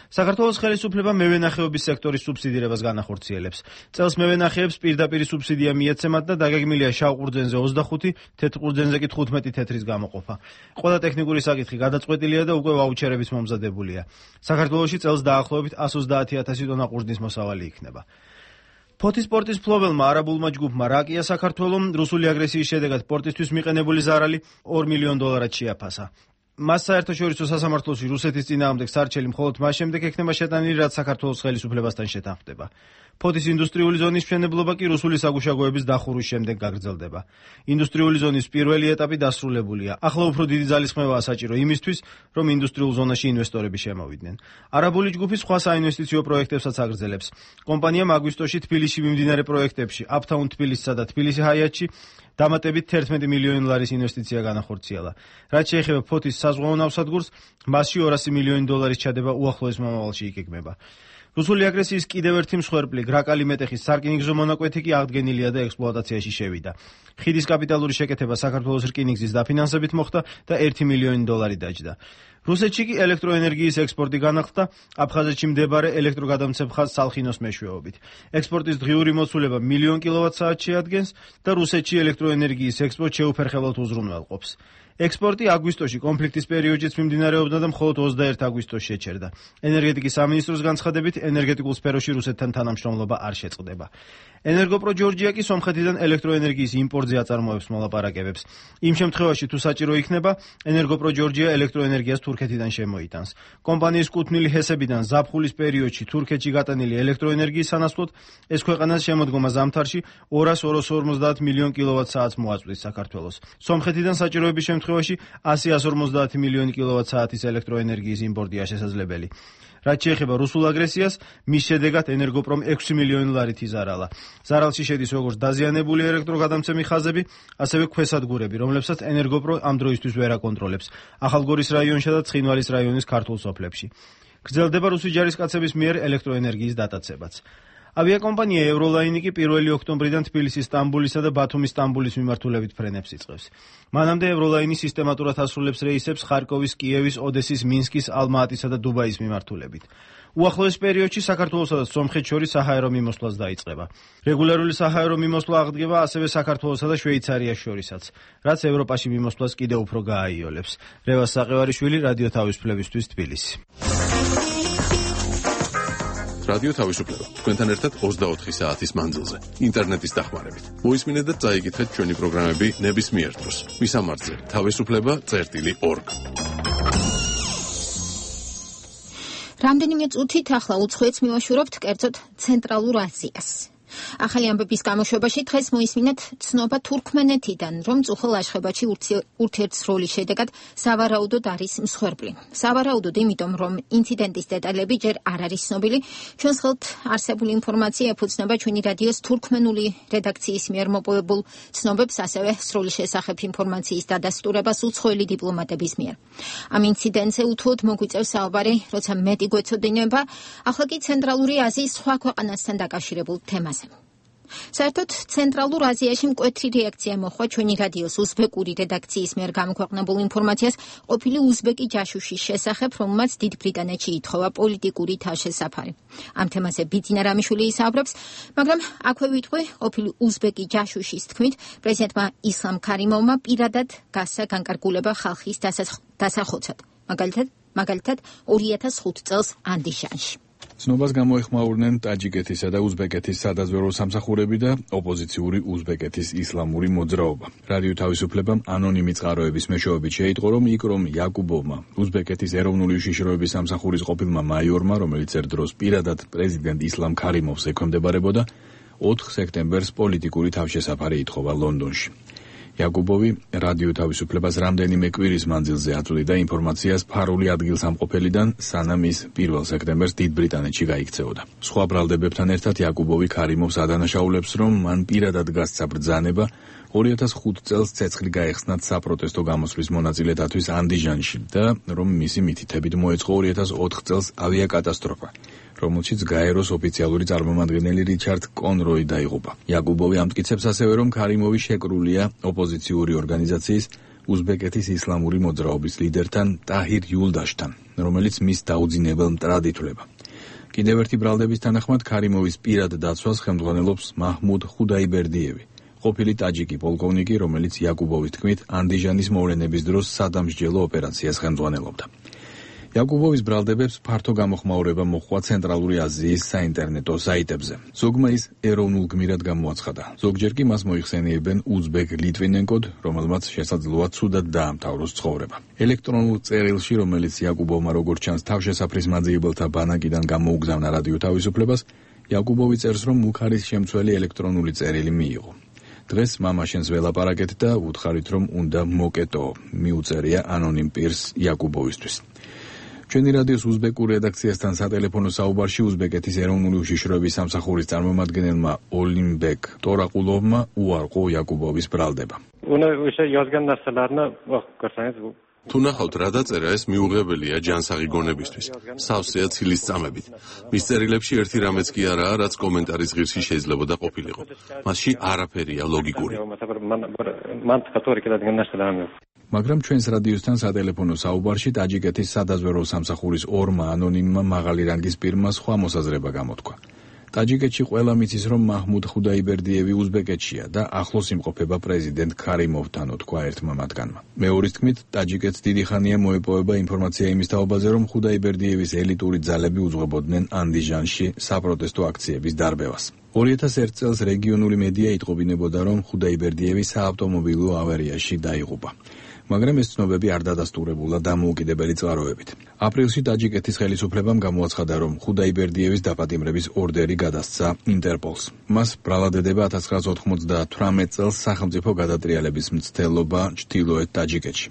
Speaker 6: საქართველოს ხელისუფლება მევენახეობის სექტორის სუბსიდირებას განახორციელებს. წელს მევენახეებს პირდაპირ სუბსიდია მიეცემათ და დაგეგმილია შავ ყურძენზე 25, თეთრ ყურძენზე კი 15 თეთრის გამოყოფა. ყველა ტექნიკური საკითხი გადაწყვეტილია და უკვე ვაუჩერების მომზადებულია. საქართველოში წელს დაახლოებით 130,000 ტონა ყურძნის მოსავალი იქნება. ფოთის პორტის ფლობელმა არაბულმა ჯგუფმა რაკია საქართველოს რუსული აგრესიის შედეგად პორტისთვის მიყენებული ზარალი $2 მილიონ შეაფასა. მას საერთაშორისო სასამართლოში რუსეთის წინააღმდეგ სარჩელი მხოლოდ მას შემდეგ ექნება შეტანილი, რაც საქართველოს ხელისუფლებასთან შეთანხმდება. ფოთის ინდუსტრიული ზონის მშენებლობა კი რუსული საგუშაგოების დახურვის შემდეგ გაგრძელდება. ინდუსტრიული ზონის პირველი ეტაპი დასრულებულია. ახლა უფრო დიდი ძალისხმევაა საჭირო იმისთვის, რომ ინდუსტრიულ ზონაში ინვესტორები შემოვიდნენ. არაბული ჯგუფი სხვა საინვესტიციო პროექტებსაც აგრძელებს. კომპანიამ აგვისტოში თბილისში მიმდინარე პროექტებში, აპთაუნ თბილისსა და თბილისი ჰაიატში დამატებით $11 მილიონ ინვესტიცია განახორციელა. რაც შეეხება ფოთის საზღვაო ნავსადგურს, მასში $200 მილიონ ჩადება უახლოეს მომავალში იგეგმება. რუსული აგრესიის კიდევ ერთი მსხვერპლი გრაკალი მეტეხის სარკინიგზო მონაკვეთი კი აღდგენილია და ექსპლუატაციაში შევიდა. ხიდის კაპიტალური შეკეთება საქართველოს რკინიგზის დაფინანსებით მოხდა და $1 მილიონ დაჯდა. რუსეთში კი ელექტროენერგიის ექსპორტი განახლდა აფხაზეთში მდებარე ელექტროგადამცემ ხაზ სალხინოს მეშვეობით. ექსპორტის დღიური მოცულება 1 მილიონ კილოვატ-საათს შეადგენს და რუსეთში ელექტროენერგიის ექსპორტ შეუფერხებლად უზრუნველყოფს. ექსპორტი აგვისტოში კონფლიქტის პერიოდშიც მიმდინარეობდა და მხოლოდ 21 აგვისტოს შეჩერდა. ენერგეტიკის სამინისტროს განცხადებით, ენერგეტიკულ სფეროში რუსეთთან თანამშრომლობა არ შეწყდება. ენერგოპრო ჯორჯია კი სომხეთიდან ელექტროენერგიის იმპორტზე აწარმოებს მოლაპარაკებებს. იმ შემთხვევაში, თუ საჭირო იქნება, ენერგოპრო ჯორჯია ელექტროენერგიას თურქეთიდან შემოიტანს. კომპანიის კუთვნილი ჰესებიდან ზაფხულის პერიოდში თურქეთში გატანილი ელექტროენერგიის სანაცვლოდ ეს ქვეყანას შემოდგომა ზამთარში 250 მილიონ კილოვატ-საათს მოაწვდის საქართველოს. სომხეთიდან საჭიროების შემთხვევაში 100-150 მილიონი კილოვატ-საათის ელექტროენერგიის იმპორტია შესაძლებელი. რაც შეეხება რუსულ აგრესიას, მის შედეგად ენერგოპრომ $6 მილიონ იზარალა. ზარალში შედის როგორც დაზიანებული ელექტროგადამცემი ხაზები, ასევე ქვესადგურები, რომლებსაც ენერგოპრო ამ დროისთვის ვერ აკონტროლებს. ახალგორის რაიონსა და ცხინვალის რაიონის ქართულ სოფლებში. გრძელდება რუსი ჯარისკაცების მიერ ელექტროენერგიის დატაცებაც. ავიაკომპანია ევროლაინი კი 1 ოქტომბრიდან თბილისის, სტამბულისა და ბათუმის სტამბულის მიმართულებით ფრენებს იწყებს. მანამდე ევროლაინი სისტემატურად ასრულებს რეისებს ხარკოვის, კიევის, ოდესის, მინსკის, ალმა-ატისა და დუბაის მიმართულებით. უახლოეს პერიოდში საქართველოსა და სომხეთს შორის საჰაერო მიმოსვლაც დაიწყება. რეგულარული საჰაერო მიმოსვლა აღდგება ასევე საქართველოსა და შვეიცარიას შორისაც, რაც ევროპაში მიმოსვლას კიდევ უფრო გააიოლებს. რევას საყევარიშვილი, რადიო თავისუფლებისთვის, თბილისი.
Speaker 2: რადიო თავისუფლება თქვენთან ერთად 24 საათის მანძილზე ინტერნეტის დახმარებით. მოისმინეთ და წაიკითხეთ ჩვენი პროგრამები ნებისმიერ დროს. მისამართზე თავისუფლება.org.
Speaker 1: რამდენიმე წუთით ახლა უცხოეთს მივაშურებთ კერძოდ ცენტრალურ აზიას. ახალი ამბების გამოშვებაში დღეს მოისმინეთ ცნობა თურქმენეთიდან, რომ წუხელ აშხებაში ურთიერთსროლის შედეგად სავარაუდოდ არის მსხვერპლი. სავარაუდოდ იმიტომ, რომ ინციდენტის დეტალები ჯერ არ არის ცნობილი. ჩვენს ხელთ არსებული ინფორმაცია ეფუძნება ჩვენი რადიოს თურქმენული რედაქციის მიერ მოპოვებულ ცნობებს, ასევე სროლის შესახებ ინფორმაციის დადასტურებას უცხოელი დიპლომატების მიერ. ამ ინციდენტზე უთუოდ მოგვიწევს საუბარი, როცა მეტი გვეცოდინება, ახლა კი ცენტრალური აზიის სხვა ქვეყანასთან დაკავშირებულ თემას. საერთოდ ცენტრალურ აზიაში მკვეთრი რეაქცია მოხდა ჩვენი რადიოს უზბეკური რედაქციის მიერ გამოქვეყნებულ ინფორმაციას ყოფილი უზბეკი ჯაშუშის შესახებ, რომელმაც დიდ ბრიტანეთში ითხოვა პოლიტიკური თავშესაფარი. ამ თემაზე ბიძინა რამიშვილი ისაუბრებს, მაგრამ აქვე ვიტყვი, ყოფილი უზბეკი ჯაშუშის თქმით, პრეზიდენტმა ისლამ ქარიმოვმა პირადად გასცა განკარგულება ხალხის დასახოცად. მაგალითად 2005 წელს ანდიშანში.
Speaker 7: ცნობას გამოეხმაურნენ ტაჯიკეთისა და უზბეკეთის სადაზვერვო სამსახურები და ოპოზიციური უზბეკეთის ისლამური მოძრაობა. რადიო თავისუფლებამ ანონიმი წყაროების მეშვეობით შეიტყო, რომ იკრომ იაკუბოვმა, უზბეკეთის ეროვნული უშიშროების სამსახურის ყოფილმა მაიორმა, რომელიც ერთ დროს პირადად პრეზიდენტ ისლამ ქარიმოვს ექვემდებარებოდა, 4 სექტემბერს პოლიტიკური თავშესაფარი ითხოვა ლონდონში. იაკუბოვი რადიო თავისუფლებას რამდენიმე კვირის მანძილზე აწვდიდა ინფორმაციას ფარული ადგილსამყოფელიდან, სანამ ის 1 სექტემბერს დიდ ბრიტანეთში გაიქცეოდა. სხვა ბრალდებებთან ერთად იაკუბოვი ქარიმოვს ადანაშაულებს, რომ მან პირადად გასცა ბრძანება 2005 წელს ცეცხლი გაეხსნათ საპროტესტო გამოსვლის მონაწილე-დათვის ანდიჟანში და რომ მისი მითითებით მოეწყო 2004 წელს ავიაკატასტროფა, რომელშიც გაეროს ოფიციალური წარმომადგენელი რიჩარდ კონროი დაიღუპა. იაკუბოვი ამტკიცებს ასევე, რომ ქარიმოვი შეკრულია ოპოზიციური ორგანიზაციის უზბეკეთის ისლამური მოძრაობის ლიდერთან ტაჰირ იულდაშთან, რომელიც მის დაუძინებელ მტრად ითვლება. კიდევ ერთი ბრალდების თანახმად ქარიმოვის პირად დაცვას ხელმძღვანელობს მაჰმუდ ხუდაიბერდიევი, ყოფილი ტაჯიკი პოლკოვნიკი, რომელიც იაკუბოვის თქმით ანდიჟანის მოვლენების დროს სადამსჯელო ოპერაციას ხელმძღვანელობდა. იაკუბოვის ბრალდებებს ფართო გამოხმაურება მოჰყვა ცენტრალური აზიის საინტერნეტო საიტებზე. ზოგმა ის ეროვნულ გმირად გამოაცხადა. ზოგჯერ კი მას მოიხსენიებენ უზბეკ ლიტვინენკოდ, რომელმაც შესაძლოა ცუდად დაამთავროს ცხოვრება. ელექტრონულ წერილში, რომელიც იაკუბოვმა როგორც ჩანს თავშესაფრის მაძიებელთა ბანაკიდან გამოუგზავნა რადიო თავისუფლებას, იაკუბოვი წერს, რომ მუხარის შემცველი ელექტრონული წერილი მიიღო. დღეს მამაშენს ველაპარაკეთ და უთხარით, რომ უნდა მოკეტო, მიუწერია ანონიმ პირს იაკუბოვისთვის. ჩვენი რადიოს უზბეკურ რედაქციასთან სატელეფონო საუბარში უზბეკეთის ეროვნული უშიშროების სამსახურის წარმომადგენელმა ოლიმბეკ ტორაყულოვმა უარყო იაკუბოვის ბრალდება.
Speaker 2: თუ ნახავთ რა დაწერა, ეს მიუღებელია ჯანსაღი გონებისთვის. სავსეა ცილის წამებით. მის წერილებში ერთი რამეც კი არაა, რაც კომენტარის ღირსი შეიძლებოდა ყოფილიყო. მასში არაფერია ლოგიკური. მაგრამ ჩვენს რადიოსთან სატელეფონო საუბარში ტაჯიკეთის სადაზვერვო სამსახურის ორმა ანონიმმა მაღალი რანგის პირმა სხვა მოსაზრება გამოთქვა. ტაჯიკეთში ყველა მიცის, რომ მაჰმუდ ხუდაიბერდიევი უზბეკეთშია და ახლოს იმყოფება პრეზიდენტ ქარიმოვთან, თქვა ერთმა მათგანმა. მეორის თქმით, ტაჯიკეთს დიდი ხანია მოეპოვება ინფორმაცია იმის თაობაზე, რომ ხუდაიბერდიევის ელიტური ძალები უძღვებოდნენ ანდიჟანში საპროტესტო აქციების დარბევას. 2001 წელს რეგიონული მედია იტყობინებოდა, რომ ხუდაიბერდიევი საავტომობილო ავარიაში დაიღუპა. მაგრამ ეს ცნობები არ დადასტურებულა დამოუკიდებელი წყაროებით. აპრილში ტაჯიკეთის ხელისუფლებამ გამოაცხადა, რომ ხუდაიბერდიევის დაპატიმრების ორდერი გადასცა ინტერპოლს. მას ბრალადედება 1998 წელს სახელმწიფო გადატრიალების მცდელობა ჩრდილოეთ ტაჯიკეთში.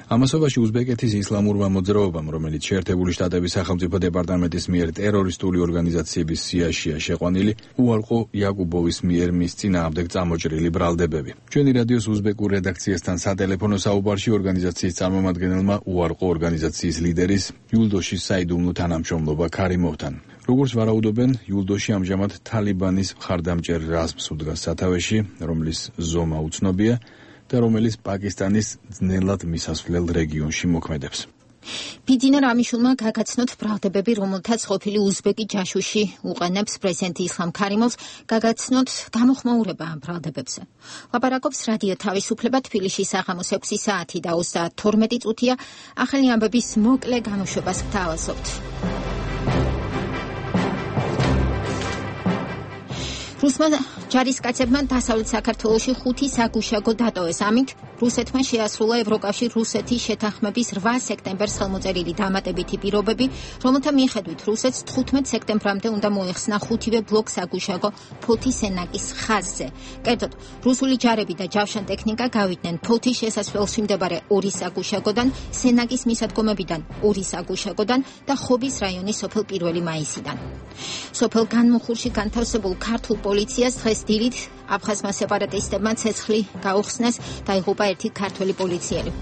Speaker 2: ამასობაში უზბეკეთის ისლამურმა მოძრაობამ, რომელიც შეერთებული შტატების სახელმწიფო დეპარტამენტის მიერ ტერორისტული ორგანიზაციების სიაშია შეყვანილი, უარყო იაკუბოვის მიერ მის წინააღმდეგ წამოჭრილი ბრალდებები. ჩვენი რადიოს უზბეკურ რედაქციასთან სატელეფონო საუბარში ორგანიზაციის წარმომადგენელმა უარყო ორგანიზაციის ლიდერის იულდოშის საიდუმლო თანამშრომლობა ქარიმოვთან. როგორც ვარაუდობენ, იულდოში ამჟამად თალიბანის მხარდამჭერ რაზმს უდგას სათავეში, რომლის ზომა უცნობია და რომელიც პაკისტანის ძნელად მისასვლელ რეგიონში მოქმედებს.
Speaker 1: ბიძინა რამიშულმა გაგაცნოთ ბრალდებები, რომელთაც ყოფილი უზბეკი ჯაშუში უყენებს პრეზიდენტ ისლამ ქარიმოვს, გაგაცნოთ გამოხმაურება ამ ბრალდებებზე. ლაპარაკობს რადიო თავისუფლება, თბილისში საღამოს 6 საათი და 32 წუთია. ახალი ამბების მოკლე გამოშვებას გთავაზობთ. რუსმა ჯარისკაცებმა დასავლეთ საქართველოში 5 საგუშაგო დატოვეს. ამით რუსეთმა შეასრულა ევროკავშირ რუსეთის შეთანხმების 8 სექტემბერს ხელმოწერილი დამატებითი პირობები, რომელთა მიხედვით რუსეთს 15 სექტემბრამდე უნდა მოეხსნა 5-ვე ბლოკ საგუშაგო ფოთის ენაკის ხაზზე. კერძოდ, რუსული ჯარები და ჯავშანტექნიკა გავიდნენ ფოთის შესასვლელში მდებარე 2 საგუშაგოდან, სენაკის მისადგომებიდან 2 საგუშაგოდან და ხობის რაიონის სოფელ 1 მაისიდან. სოფელ განმუხურში განთავსებულ ქართულ პოლიციას დღეს დილით აფხაზმა სეპარატისტებმა ცეცხლი გაუხსნეს, დაიღუპა ერთი ქართველი პოლიციელი.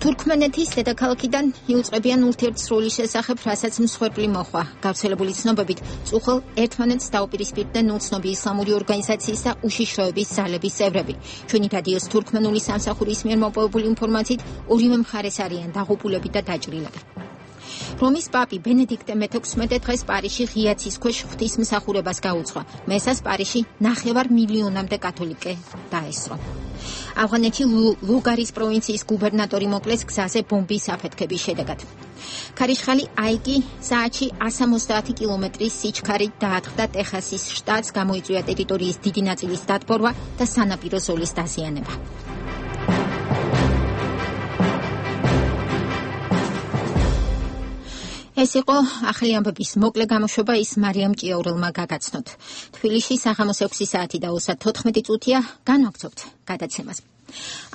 Speaker 1: თურქმენეთის დედაქალაქიდან იუწყებიან ურთიერთსროლის შესახებ, რასაც მსხვერპლი მოხვა. გავრცელებული ცნობებით, წუხელ ერთმანეთს დაუპირისპირდნენ უცნობი ისლამური ორგანიზაციის და უშიშროების ძალების წევრები. ჩვენი რადიოს თურქმენული სამსახურის მიერ მოპოვებული ინფორმაციით, ორივე მხარეს არიან დაღუპულები და დაჭრილები. რომის პაპი ბენედიქტე მე-16 დღეს პარიზში ღიაცის ქვეშ ღვთისმსახურებას გაუძღვა. მესას პარიზში 9 მილიონამდე კათოლიკე დაესწრო. ავღანეთში ლუგარის პროვინციის გუბერნატორი მოკლეს გზაზე ბომბის აფეთქების შედეგად. ქარიშხალი აიკი საათში 170 კილომეტრის სიჩქარით დაატყდა ტეხასის შტატს, გამოიწვია ტერიტორიის დიდი ნაწილის დატბორვა და სანაპირო ზოლის დაზიანება. ეს იყო ახალი ამბების მოკლე გამოშვება, ის მარიამ ჭიაურელმა გაგაცნოთ. თბილისში საღამოს 6 საათი და 34 წუთია, განვაგრძობთ გადაცემას.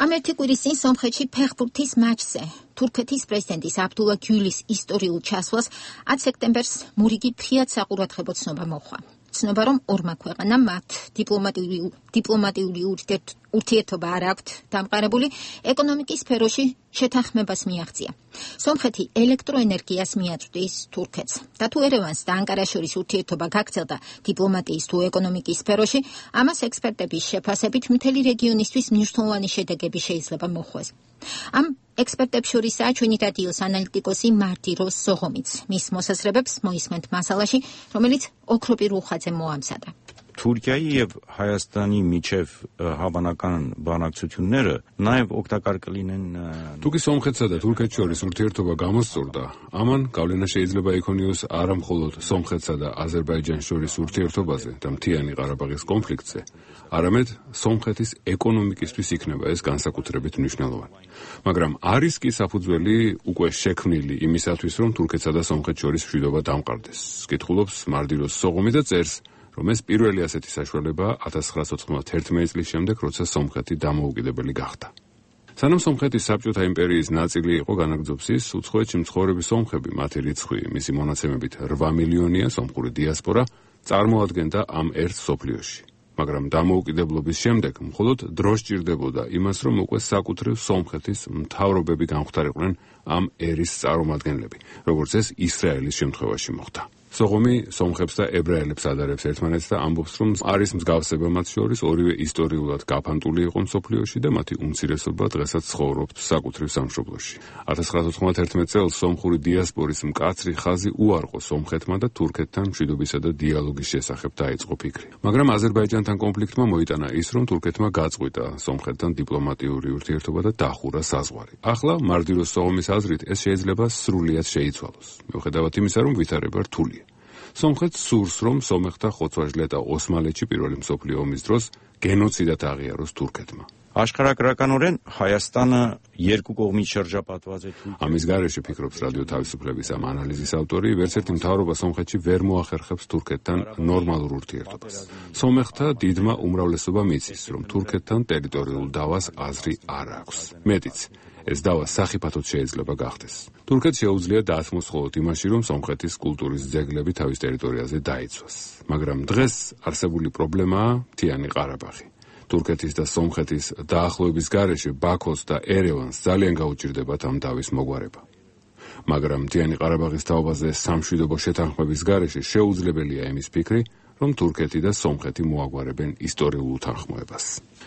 Speaker 1: ამ ერთი კვირის წინ სომხეთში ფეხბურთის მატჩზე თურქეთის პრეზიდენტის აბდულა გյուლის ისტორიულ ჩასვლას 10 სექტემბერს მურიგი ფრიად საყურადღებო ცნობა მოჰყვა. ცნობა, რომ ორმა ქვეყანამ მათ დიპლომატიური ურთიერთობა არ აქვთ დამყარებული, ეკონომიკის სფეროში შეთანხმებას მიაღწია. სომხეთი ელექტროენერგიას მიაწვდის თურქეთს. და თუ ერევანს და ანკარას შორის ურთიერთობა გაგრძელდა დიპლომატიის თუ ეკონომიკის სფეროში, ამას ექსპერტების შეფასებით მთელი რეგიონისთვის მნიშვნელოვანი შედეგები შეიძლება მოჰყვეს. ამ ექსპერტებს შორისაა ჩვენი რადიოს ანალიტიკოსი მარტირო სოღომიც. მის მოსაზრებებს მოისმენთ მასალაში, რომელიც ოქროპი რუხაძე მოამზადა.
Speaker 10: Թուրքիայի եւ Հայաստանի միջև հավանական բանակցությունները նաեւ օգտակար կլինեն
Speaker 22: Թուրքի Սոմխեցա და თურქეთს შორის ურთიერთობა გამოსწორდა. ამან გავლენა შეიძლება იქონიოს არა მხოლოდ სომხეთსა და აზერბაიჯანს შორის ურთიერთობაზე და მთიანი ყარაბაღის კონფლიქტზე, არამედ სომხეთის ეკონომიკისთვის იქნება ეს განსაკუთრებით მნიშვნელოვანი. მაგრამ არის კი საფუძველი უკვე შექმნილი იმისათვის, რომ თურქეთსა და სომხეთს შორის მშვიდობა დამყარდეს. კითხულობს მარდიროს სოღომი და წერს, რომ ეს პირველი ასეთი საშუალებაა 1991 წლის შემდეგ, როცა სომხეთი დამოუკიდებელი გახდა. სანამ სომხეთის საბჭოთა იმპერიის ნაწილი იყო განაგრძობს ის, უცხოეთში მცხოვრები სომხები, მათი რიცხვი, მისი მონაცემებით 8 მილიონია სომხური დიასპორა, წარმოადგენდა ამ ერთ სოფლიოში. მაგრამ დამოუკიდებლობის შემდეგ მხოლოდ დრო სჭირდებოდა იმას, რომ უკვე საკუთრივ სომხეთის მთავრობები გამختარიყვნენ ამ ერის წარმომადგენლები, როგორც ეს ისრაელის შემთხვევაში მოხდა. სოღომი სომხებს და ებრაელებს ადარებს ერთმანეთს და ამბობს, რომ არის მსგავსება მათ შორის, ორივე ისტორიულად გაფანტული იყო მსოფლიოში და მათი უმცირესობა დღესაც ცხოვრობს საკუთრივ სამშობლოში. 1991 წელს სომხური დიასპორის მკაცრი ხაზი უარყო სომხეთმა და თურქეთთან მშვიდობისა და დიალოგის შესახებ დაიწყო ფიქრი. მაგრამ აზერბაიჯანთან კონფლიქტმა მოიტანა ის, რომ თურქეთმა გაწყვიტა სომხეთთან დიპლომატიური ურთიერთობა და დახურა საზღვარი. ახლა მარდიროს სოღომის აზრით ეს შეიძლება სრულიად შეიცვალოს. მიუხედავად იმისა, რომ ვითარება რთულია. სომხეთს სურს, რომ სომეხთა ხოცვა-ჟლეტა და ოსმალეთში პირველი მსოფლიო ომის დროს გენოციდად აღიაროს თურქეთმა.
Speaker 10: Աշխարհագրականորեն Հայաստանը երկու կողմից շրջապատված է Թուրքիայով.
Speaker 22: ამის გარეშე ფიქრობს რადიო თავისუფლების ამ ანალიზის ავტორი, ვერცერთი მთავრობა სომხეთში ვერ მოახერხებს თურქეთთან ნორმალურ ურთიერთობას. სომეხთა დიდმა უმრავლესობამ იცის, რომ თურქეთთან ტერიტორიულ დავას აზრი არ აქვს. მეტიც, ეს დავა სახიფათოდ შეიძლება გახდეს. თურქეთს შეუძლია დაასმოს მხოლოდ იმაში, რომ სომხეთის კულტურის ძეგლები თავის ტერიტორიაზე დაიცვას. მაგრამ დღეს არსებული პრობლემაა მთიანი ყარაბაღი. თურქეთის და სომხეთის დაახლოების გარეშე ბაქოს და ერევანს ძალიან გაუჭირდებათ ამ დავის მოგვარება. მაგრამ მთიანი ყარაბაღის თაობაზე სამშვიდობო შეთანხმების გარეშე შეუძლებელია იმის ფიქრი, რომ თურქეთი და სომხეთი მოაგვარებენ ისტორიულ უთანხმოებას.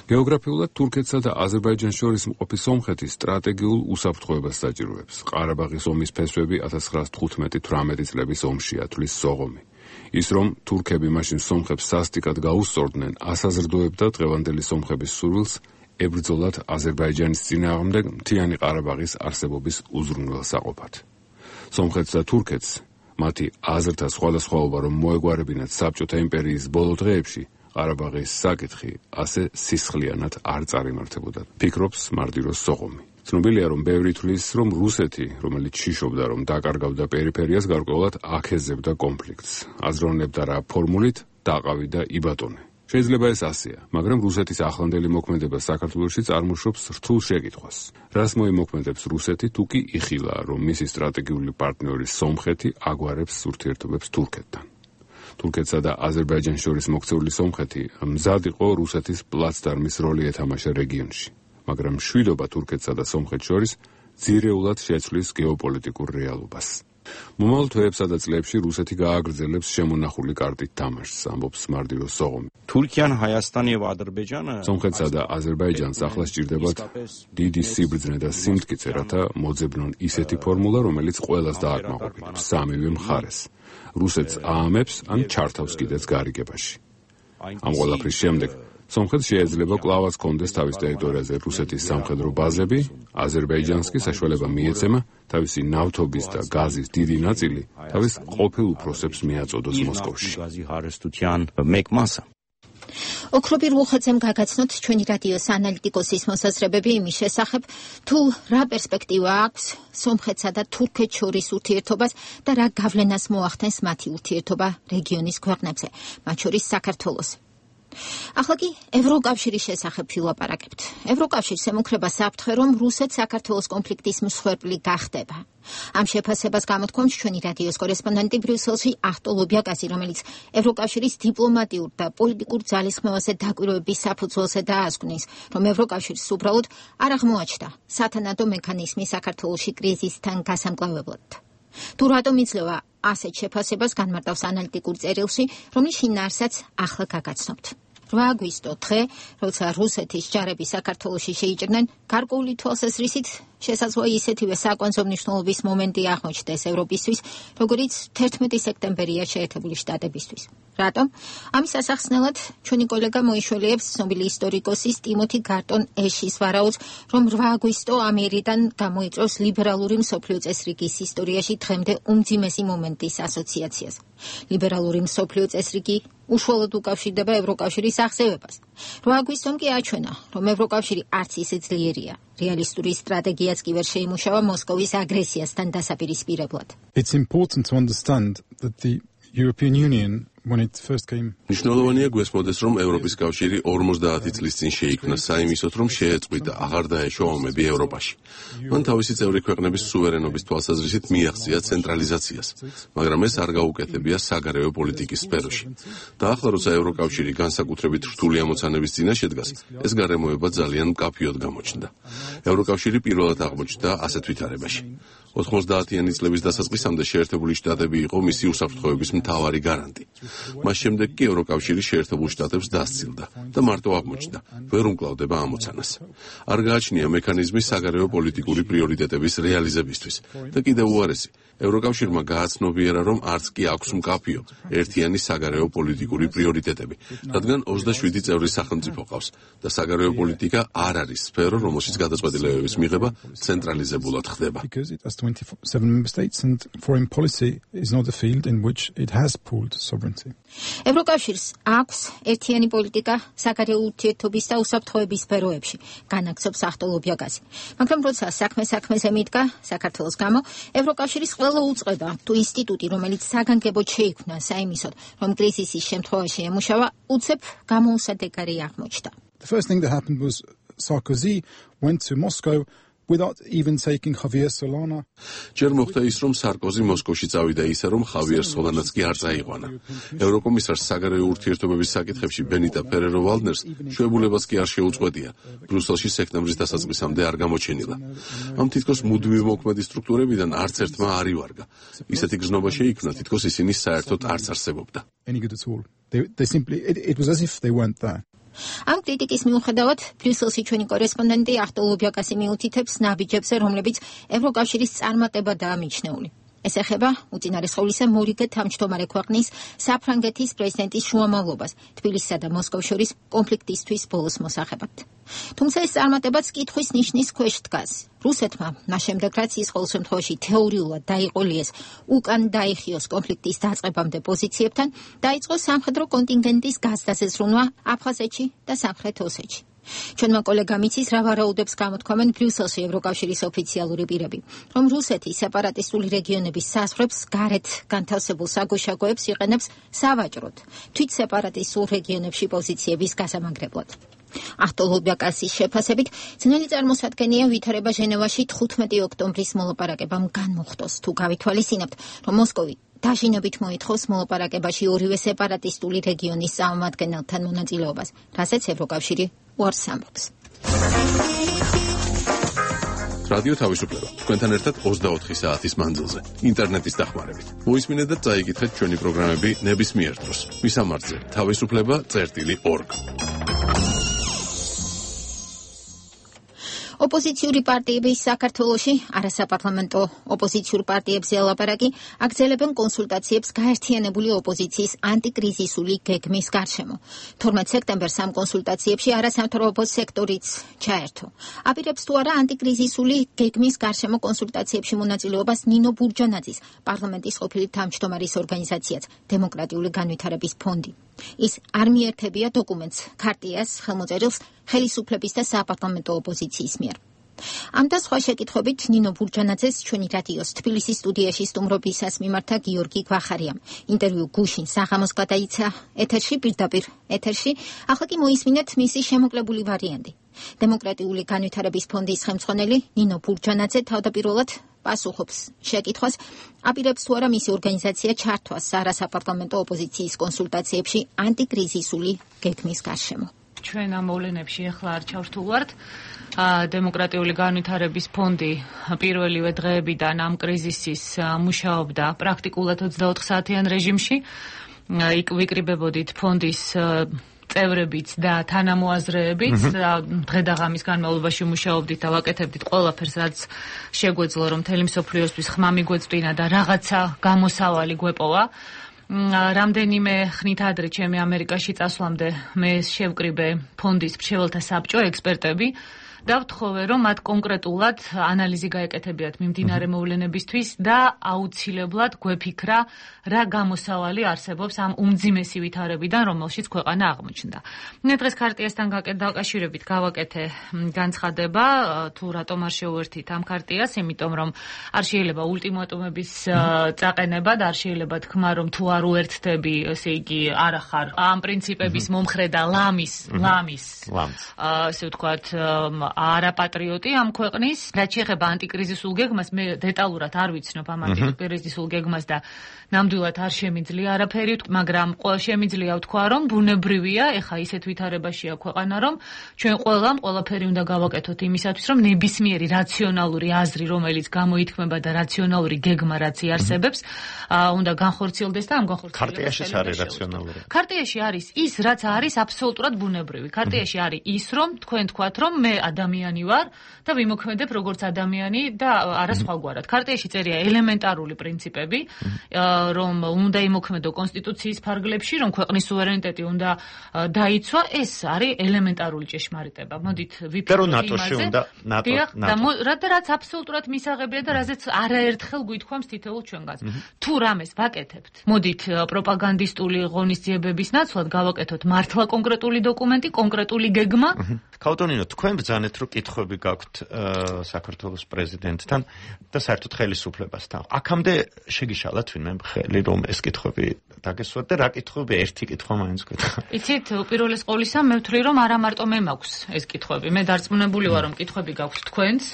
Speaker 22: გეოგრაფიულად თურქეთსა და აზერბაიჯანს შორის მყოფი სომხეთი სტრატეგიულ უსაფრთხოებას საჭიროებს. ყარაბაღის ომის ფესვები 1915-18 წლების ომშია, თვლის სოღომი. ის რომ თურქები მაშინ სომხებს სასტიკად გაუსწორდნენ, ასაზრდოებდა დღევანდელი სომხების სურვილს ებრძოლათ აზერბაიჯანის წინააღმდეგ მთიანი ყარაბაღის არსებობის უზრუნველსაყოფად. სომხეთს და თურქეთს მათი აზრთა სხვადასხვაობა რომ მოეგვარებინათ საბჭოთა იმპერიის ბოლო დღეებში, ყარაბაღის საკითხი ასე სისხლიანად არ წარიმართებოდა, ფიქრობს მარდიროს სოღომი. ცნობილია, რომ ბევრი თვლის, რომ რუსეთი, რომელიც შიშობდა, რომ დაკარგავდა პერიფერიას, გარკვეულად აქეზებდა კონფლიქტს. აზროვნებდა რა ფორმულით დაყავი და იბატონე. შეიძლება ეს ასეა, მაგრამ რუსეთის ახლანდელი მოქმედება საქართველოში წარმოშობს რთულ შეკითხვას. რას მოიმოქმედებს რუსეთი, თუ კი იხილა, რომ მისი სტრატეგიული პარტნიორი სომხეთი აგვარებს ურთიერთობებს თურქეთთან. თურქეთსა და აზერბაიჯანს შორის მოქცეული სომხეთი მზად იყო რუსეთის პლაცდარმის როლი ეთამაშა რეგიონში. მაგრამ მშვიდობა თურქეთსა და სომხეთს შორის ძირეულად შეცვლის გეოპოლიტიკურ რეალობას. მომავალ თვეებსა და წლებში რუსეთი გააგრძელებს შემონახული კარტით თამაშს, ამბობს მარდიროს სოღომი.
Speaker 10: Թուրքիան, Հայաստանը եւ Ադրբեջանը
Speaker 22: სომხეთსა და აზერბაიჯანს ახლა სჭირდებათ დიდი სიბრძნე და სიმტკიცე, რათა მოძებნონ ისეთი ფორმულა, რომელიც ყველას დააკმაყოფილებს სამივე მხარეს. რუსეთს აამებს ან ჩართავს კიდეც გარიგებაში. ამ ყველაფრის შემდეგ სომხეთს შეიძლება კვლავაც კონდეს თავის ტერიტორიაზე რუსეთის სამხედრო ბაზები, აზერბაიჯანს კი საშუალება მიეცემა თავისი ნავთობის და გაზის დიდი ნაწილი თავის ყოფილ უფროსებს მიაწოდოს მოსკოვში.
Speaker 1: ოქროპი რუხაძემ გაგაცნოთ ჩვენი რადიოს ანალიტიკოსის მოსაზრებები იმის შესახებ, თუ რა პერსპექტივა აქვს სომხეთსა და თურქეთს შორის ურთიერთობას და რა გავლენას მოახდენს მათი ურთიერთობა რეგიონის ქვეყნებზე, მათ შორის საქართველოს. ახლა კი ევროკავშირის შესახებ ვილაპარაკებთ. ევროკავშირს ემუქრება საფრთხე, რომ რუსეთ-საქართველოს კონფლიქტის მსხვერპლი გახდება. ამ შეფასებას გამოთქვამს ჩვენი რადიოს კორესპონდენტი ბრიუსელში ახტო ლობიაკასი, რომელიც ევროკავშირის დიპლომატიურ და პოლიტიკურ ძალისხმევაზე დაკვირვების საფუძველზე დაასკვნის, რომ ევროკავშირს უბრალოდ არ აღმოაჩნდა სათანადო მექანიზმი საქართველოში კრიზისთან გასამკლავებლად. თუ რატომ იძლევა ასეთ შეფასებას განმარტავს ანალიტიკურ წერილში, რომლის შინაარსაც ახლა გაგაცნობთ. 8 აგვისტო დღე, როცა რუსეთის ჯარები საქართველოში შეიჭრნენ, გარკვეული თვალსაზრისით შესაძლოა ისეთივე საკვანძო მნიშვნელობის მომენტი აღმოჩნდეს ევროპისთვის, როგორიც 11 სექტემბერია შეერთებული შტატებისთვის. რატომ? ამის ასახსნელად ჩვენი კოლეგა მოიშველიებს ცნობილი ისტორიკოსის ტიმოთი გარტონ ეშის ვარაუდს, რომ 8 აგვისტო ამერიდან გამოიწვევს ლიბერალური მსოფლიო წესრიგის ისტორიაში დღემდე უმძიმესი მომენტის ასოციაციას. ლიბერალური მსოფლიო წესრიგი უშუალოდ უკავშირდება ევროკავშირის აღზევებას. 8 აგვისტომ კი აჩვენა, რომ ევროკავშირი არც ისე ძლიერია. რეალისტური სტრატეგიაც კი ვერ შეიმუშავა მოსკოვის აგრესიასთან დასაპირისპირებლად.
Speaker 4: It's important to understand that the European Union when it first came.
Speaker 9: მნიშვნელოვანია გვესმოდეს, რომ ევროპის კავშირი 50 წლის წინ შეიქმნა საიმისოდ, რომ შეეწყვიტა აღარ დაეშვა ომები ევროპაში. მან თავისი წევრი ქვეყნების სუვერენობის თვალსაზრისით მიაღწია ცენტრალიზაციას, მაგრამ ეს არ გაუკეთებია საგარეო პოლიტიკის სფეროში. და ახლა, როცა ევროკავშირი განსაკუთრებით რთული ამოცანების წინაშე დგას, ეს გარემოება ძალიან მკაფიოდ გამოჩნდა. ევროკავშირი პირველად აღმოჩნდა ასეთ ვითარებაში. 90-იანი წლების დასაწყისამდე შეერთებული შტატები იყო მისი უსაფრთხოების მთავარი გარანტი. მას შემდეგ კი ევროკავშირი შეერთებულ შტატებს დასცილდა და მარტო აღმოჩნდა, ვერ უმკლავდება ამოცანას. არ გააჩნია მექანიზმი საგარეო პოლიტიკური პრიორიტეტების რეალიზებისთვის და კიდევ უარესი, ევროკავშირმა გააცნობიერა, რომ არც კი აქვს მკაფიო ერთიანი საგარეო პოლიტიკური პრიორიტეტები, რადგან 27 წევრი სახელმწიფო ყავს და საგარეო პოლიტიკა არ არის სფერო, რომელშიც გადაწყვეტილებების მიღება ცენტრალიზებულად ხდება.
Speaker 4: 27 member states and foreign policy is not a field in which it has pooled sovereignty.
Speaker 1: ევროკავშირს აქვს ერთიანი პოლიტიკა საგარეო ურთიერთობის და უსაფრთხოების სფეროებში, განაგრძობს ახტო ლობიაკასი. მაგრამ როცა საქმეზე მიდგა საქართველოს გამო, ევროკავშირის ყველა უწყება თუ ინსტიტუტი, რომელიც საგანგებოდ შეიქმნა საიმისოდ, რომ კრიზისის შემთხვევაში ემუშავა, უცებ გამოუსადეგარი აღმოჩნდა.
Speaker 4: The first thing that happened was Sarkozy went to Moscow without even taking Javier Solana.
Speaker 9: ჯერ მოხდა ის, რომ სარკოზი მოსკოვში წავიდა ისე, რომ ხავიერ სოლანაც კი არ წაიყვანა. ევროკომისარს საგარეო ურთიერთობების საკითხებში ბენიტა ფერერო-ვალდნერს შვებულებას კი არ შეუწყვეტია. ბრიუსელში სექტემბრის დასაწყისამდე არ გამოჩენილა. ამ თითქოს მუდმივი მოქმედი სტრუქტურებიდან არც ერთმა არ ივარგა. ისეთი გზნობა შეიქმნა, თითქოს ისინი საერთოდ არც არსებობდა.
Speaker 4: It was as if they weren't there.
Speaker 1: ამ კრიტიკის მიუხედავად, ბრიუსელში ჩვენი კორესპონდენტი ახტო ლობიაკასი მიუთითებს ნაბიჯებზე, რომლებიც ევროკავშირის წარმატებადაა მიჩნეული. ეს ეხება უწინარესხეულისა მორიგე თავმჯდომარე ქვეყნის საფრანგეთის პრეზიდენტის შუამავლობას თბილისსა და მოსკოვს შორის კონფლიქტისთვის ბოლოს მოსახებად. თუმცა ეს წარმატებაც კითხვის ნიშნის ქვეშ დგას. რუსეთმა მას შემდეგ, რაც ის ყოველ შემთხვევაში თეორიულად დაიყოლიეს უკან დაიხიოს კონფლიქტის დაწყებამდე პოზიციებთან, დაიწყო სამხედრო კონტინგენტის გაზრდაზრუნვა აფხაზეთში და სამხრეთ ოსეთში. ჩვენმა კოლეგამ იცის რა ვარაუდებს გამოთქვამენ ბრიუსელში ევროკავშირის ოფიციალური პირები, რომ რუსეთი სეპარატისტული რეგიონების საზღვრებს გარეთ განთავსებულ საგუშაგოებს იყენებს სავაჭროდ, თვით სეპარატისტულ რეგიონებში პოზიციების გასამაგრებლად. ახტო ლობიაკასის შეფასებით, ძნელი წარმოსადგენია ვითარება ჟენევაში 15 ოქტომბრის მოლაპარაკებამ განმოხტოს, თუ გავითვალისწინებთ, რომ მოსკოვი დაჟინებით მოითხოვს მოლაპარაკებაში ორივე სეპარატისტული რეგიონის წარმომადგენელთან მონაწილეობას, რასაც ევროკავშირი უარს ამბობს.
Speaker 9: რადიო თავისუფლება. თქვენთან ერთად 24 საათის მანძილზე, ინტერნეტის დახმარებით. მოისმინეთ და წაიკითხეთ ჩვენი პროგრამები ნებისმიერ დროს. მისამართზე თავისუფლება.org.
Speaker 1: ოპოზიციური პარტიების საქართველოში არასაპარლამენტო ოპოზიციურ პარტიებზე ელაპარაკი აგრძელებენ კონსულტაციებს გაერთიანებული ოპოზიციის ანტიკრიზისული გეგმის გარშემო. 12 სექტემბერს ამ კონსულტაციებში არასამთავრობო სექტორიც ჩაერთო. აპირებს თუ არა ანტიკრიზისული გეგმის გარშემო კონსულტაციებში მონაწილეობას ნინო ბურჯანაძის, პარლამენტის ყოფილი თავმჯდომარის ორგანიზაციაც დემოკრატიული განვითარების ფონდი. ის არ მიერთებია დოკუმენტს, ქარტიას, ხელმოწერილს ხელისუფლების და საპარლამენტო ოპოზიციის მიერ. ამ და სხვა შეკითხვებით ნინო ბურჯანაძეს ჩვენი რადიოს თბილისის სტუდიაში სტუმრობისას მიმართა გიორგი გვახარიამ. ინტერვიუ გუშინ საღამოს გადაიცა ეთერში პირდაპირ ეთერში. ახლა კი მოისმინეთ მისი შემოკლებული ვარიანტი. დემოკრატიული განვითარების ფონდის ხელმძღვანელი ნინო ბურჯანაძე თავდაპირველად პასუხობს შეკითხვას, აპირებს თუ არა მისი ორგანიზაცია ჩართვას არასაპარლამენტო ოპოზიციის კონსულტაციებში ანტიკრიზისული გეგმის გარშემო.
Speaker 8: ჩვენ ამ მოვლენებში ახლა არ ჩავრთულვართ. დემოკრატიული განვითარების ფონდი პირველივე დღეებიდან ამ კრიზისის მუშაობდა პრაქტიკულად 24 საათიან რეჟიმში. იქ ვიკრიბებოდით ფონდის წევრებიც და თანამოაზრეებიც დღე და ღამის განმავლობაში მუშაობდით და ვაკეთებდით ყველაფერს, რაც შეგვეძლო, რომ მთელი მსოფლიოსთვის ხმა მიგვეწვინა და რაღაცა გამოსავალი გვეპოვა. რამდენიმე ხნით ადრე ჩემი ამერიკაში წასვლამდე მე შევკრიბე ფონდის მრჩეველთა საბჭო ექსპერტები და ვთხოვე, რომ მათ კონკრეტულად ანალიზი გაეკეთებიათ მიმდინარე მოვლენებისთვის და აუცილებლად გვეფიქრა, რა გამოსავალი არსებობს ამ უმძიმესი ვითარებიდან, რომელშიც ქვეყანა აღმოჩნდა. მე დღეს ქარტიასთან დაკავშირებით გავაკეთე განცხადება, თუ რატომ არ შევუერთით ამ ქარტიას, იმიტომ რომ არ შეიძლება ultimatumების წაყენება და არ შეიძლება თქმა, რომ თუ არ უერთდები, ესე იგი არა ხარ ამ პრინციპების მომხრე და ლამის, ასე ვთქვათ, არაპატრიოტი ამ ქვეყნის. რაც შეეხება ანტიკრიზისულ გეგმას, მე დეტალურად არ ვიცნობ ამ ანტიკრიზისულ გეგმას და ნამდვილად არ შემიძლია არაფერი, მაგრამ შემიძლია ვთქვა, რომ ბუნებრივია, ეხა ისეთ ვითარებაშია ქვეყანა, რომ ჩვენ ყველამ ყველაფერი უნდა გავაკეთოთ იმისათვის, რომ ნებისმიერი რაციონალური აზრი, რომელიც გამოითქმება და რაციონალური გეგმა, რაც იარსებებს, უნდა განხორციელდეს და ამ განხორციელებას
Speaker 12: ქარტიაში არის რაციონალური.
Speaker 8: ქარტიაში არის ის, რაც არის აბსოლუტურად ბუნებრივი. ქარტიაში არის ის, რომ თქვენ თქვათ, რომ მე ადამიანი ვარ და ვიმოქმედებ როგორც ადამიანი და არა სხვაგვარად. ქარტიაში წერია ელემენტარული პრინციპები, რომ უნდა იმოქმედო კონსტიტუციის ფარგლებში, რომ ქვეყნის სუვერენიტეტი უნდა დაიცვა, ეს არის ელემენტარული ჭეშმარიტება. მოდით ვიფიქროთ იმაზე, რაც აბსოლუტურად მისაღებია და რაზეც არაერთხელ გვითქვამს თითოეულ ჩვენგანს. თუ რამეს ვაკეთებთ, მოდით პროპაგანდისტული ღონისძიებების ნაცვლად გავაკეთოთ მართლა კონკრეტული დოკუმენტი, კონკრეტული გეგმა.
Speaker 12: ქაუტონინო, თქვენ ბრძანეთ, რომ კითხვები გაქვთ საქართველოს პრეზიდენტთან და საერთოდ ხელისუფლებასთან. აქამდე შეგიშალათ ვინმე ხელი, რომ ეს კითხვები დაგესვათ და რა კითხვები, ერთი კითხვა მაინც გქონდა.
Speaker 8: იცით, უპირველეს ყოვლისა მე ვთვლი, რომ არა მარტო მე მაქვს ეს კითხვები. მე დარწმუნებული ვარ, რომ კითხვები გაქვთ თქვენს.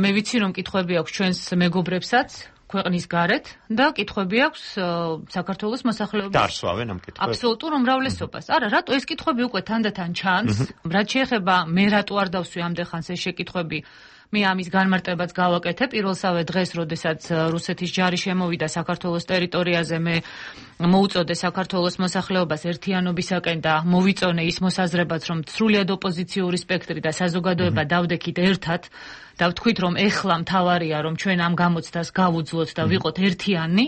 Speaker 8: მე ვიცი, რომ კითხვები აქვს ჩვენს მეგობრებსაც ქვეყნის გარეთ და კითხვები აქვს საქართველოს მოსახლეობის.
Speaker 12: დარსვავენ ამ კითხვებს.
Speaker 8: აბსოლუტურ უმრავლესობას. არა, რატო ეს კითხვები უკვე თანდათან ჩანს? რაც შეეხება მე რატო არ დავსვი ამდენხანს ეს შეკითხვები, მე ამის განმარტებაც გავაკეთე პირველსავე დღეს, როდესაც რუსეთის ჯარი შემოვიდა საქართველოს ტერიტორიაზე, მე მოუწოდე საქართველოს მოსახლეობას ერთიანობისაკენ და მოვიწონე ის მოსაზრებაც, რომ სრულიად ოპოზიციური სპექტრი და საზოგადოება დავდექით ერთად და ვთქვით, რომ ეხლა მთავარია, რომ ჩვენ ამ გამოცდას გავუძლოთ და ვიყოთ ერთიანი.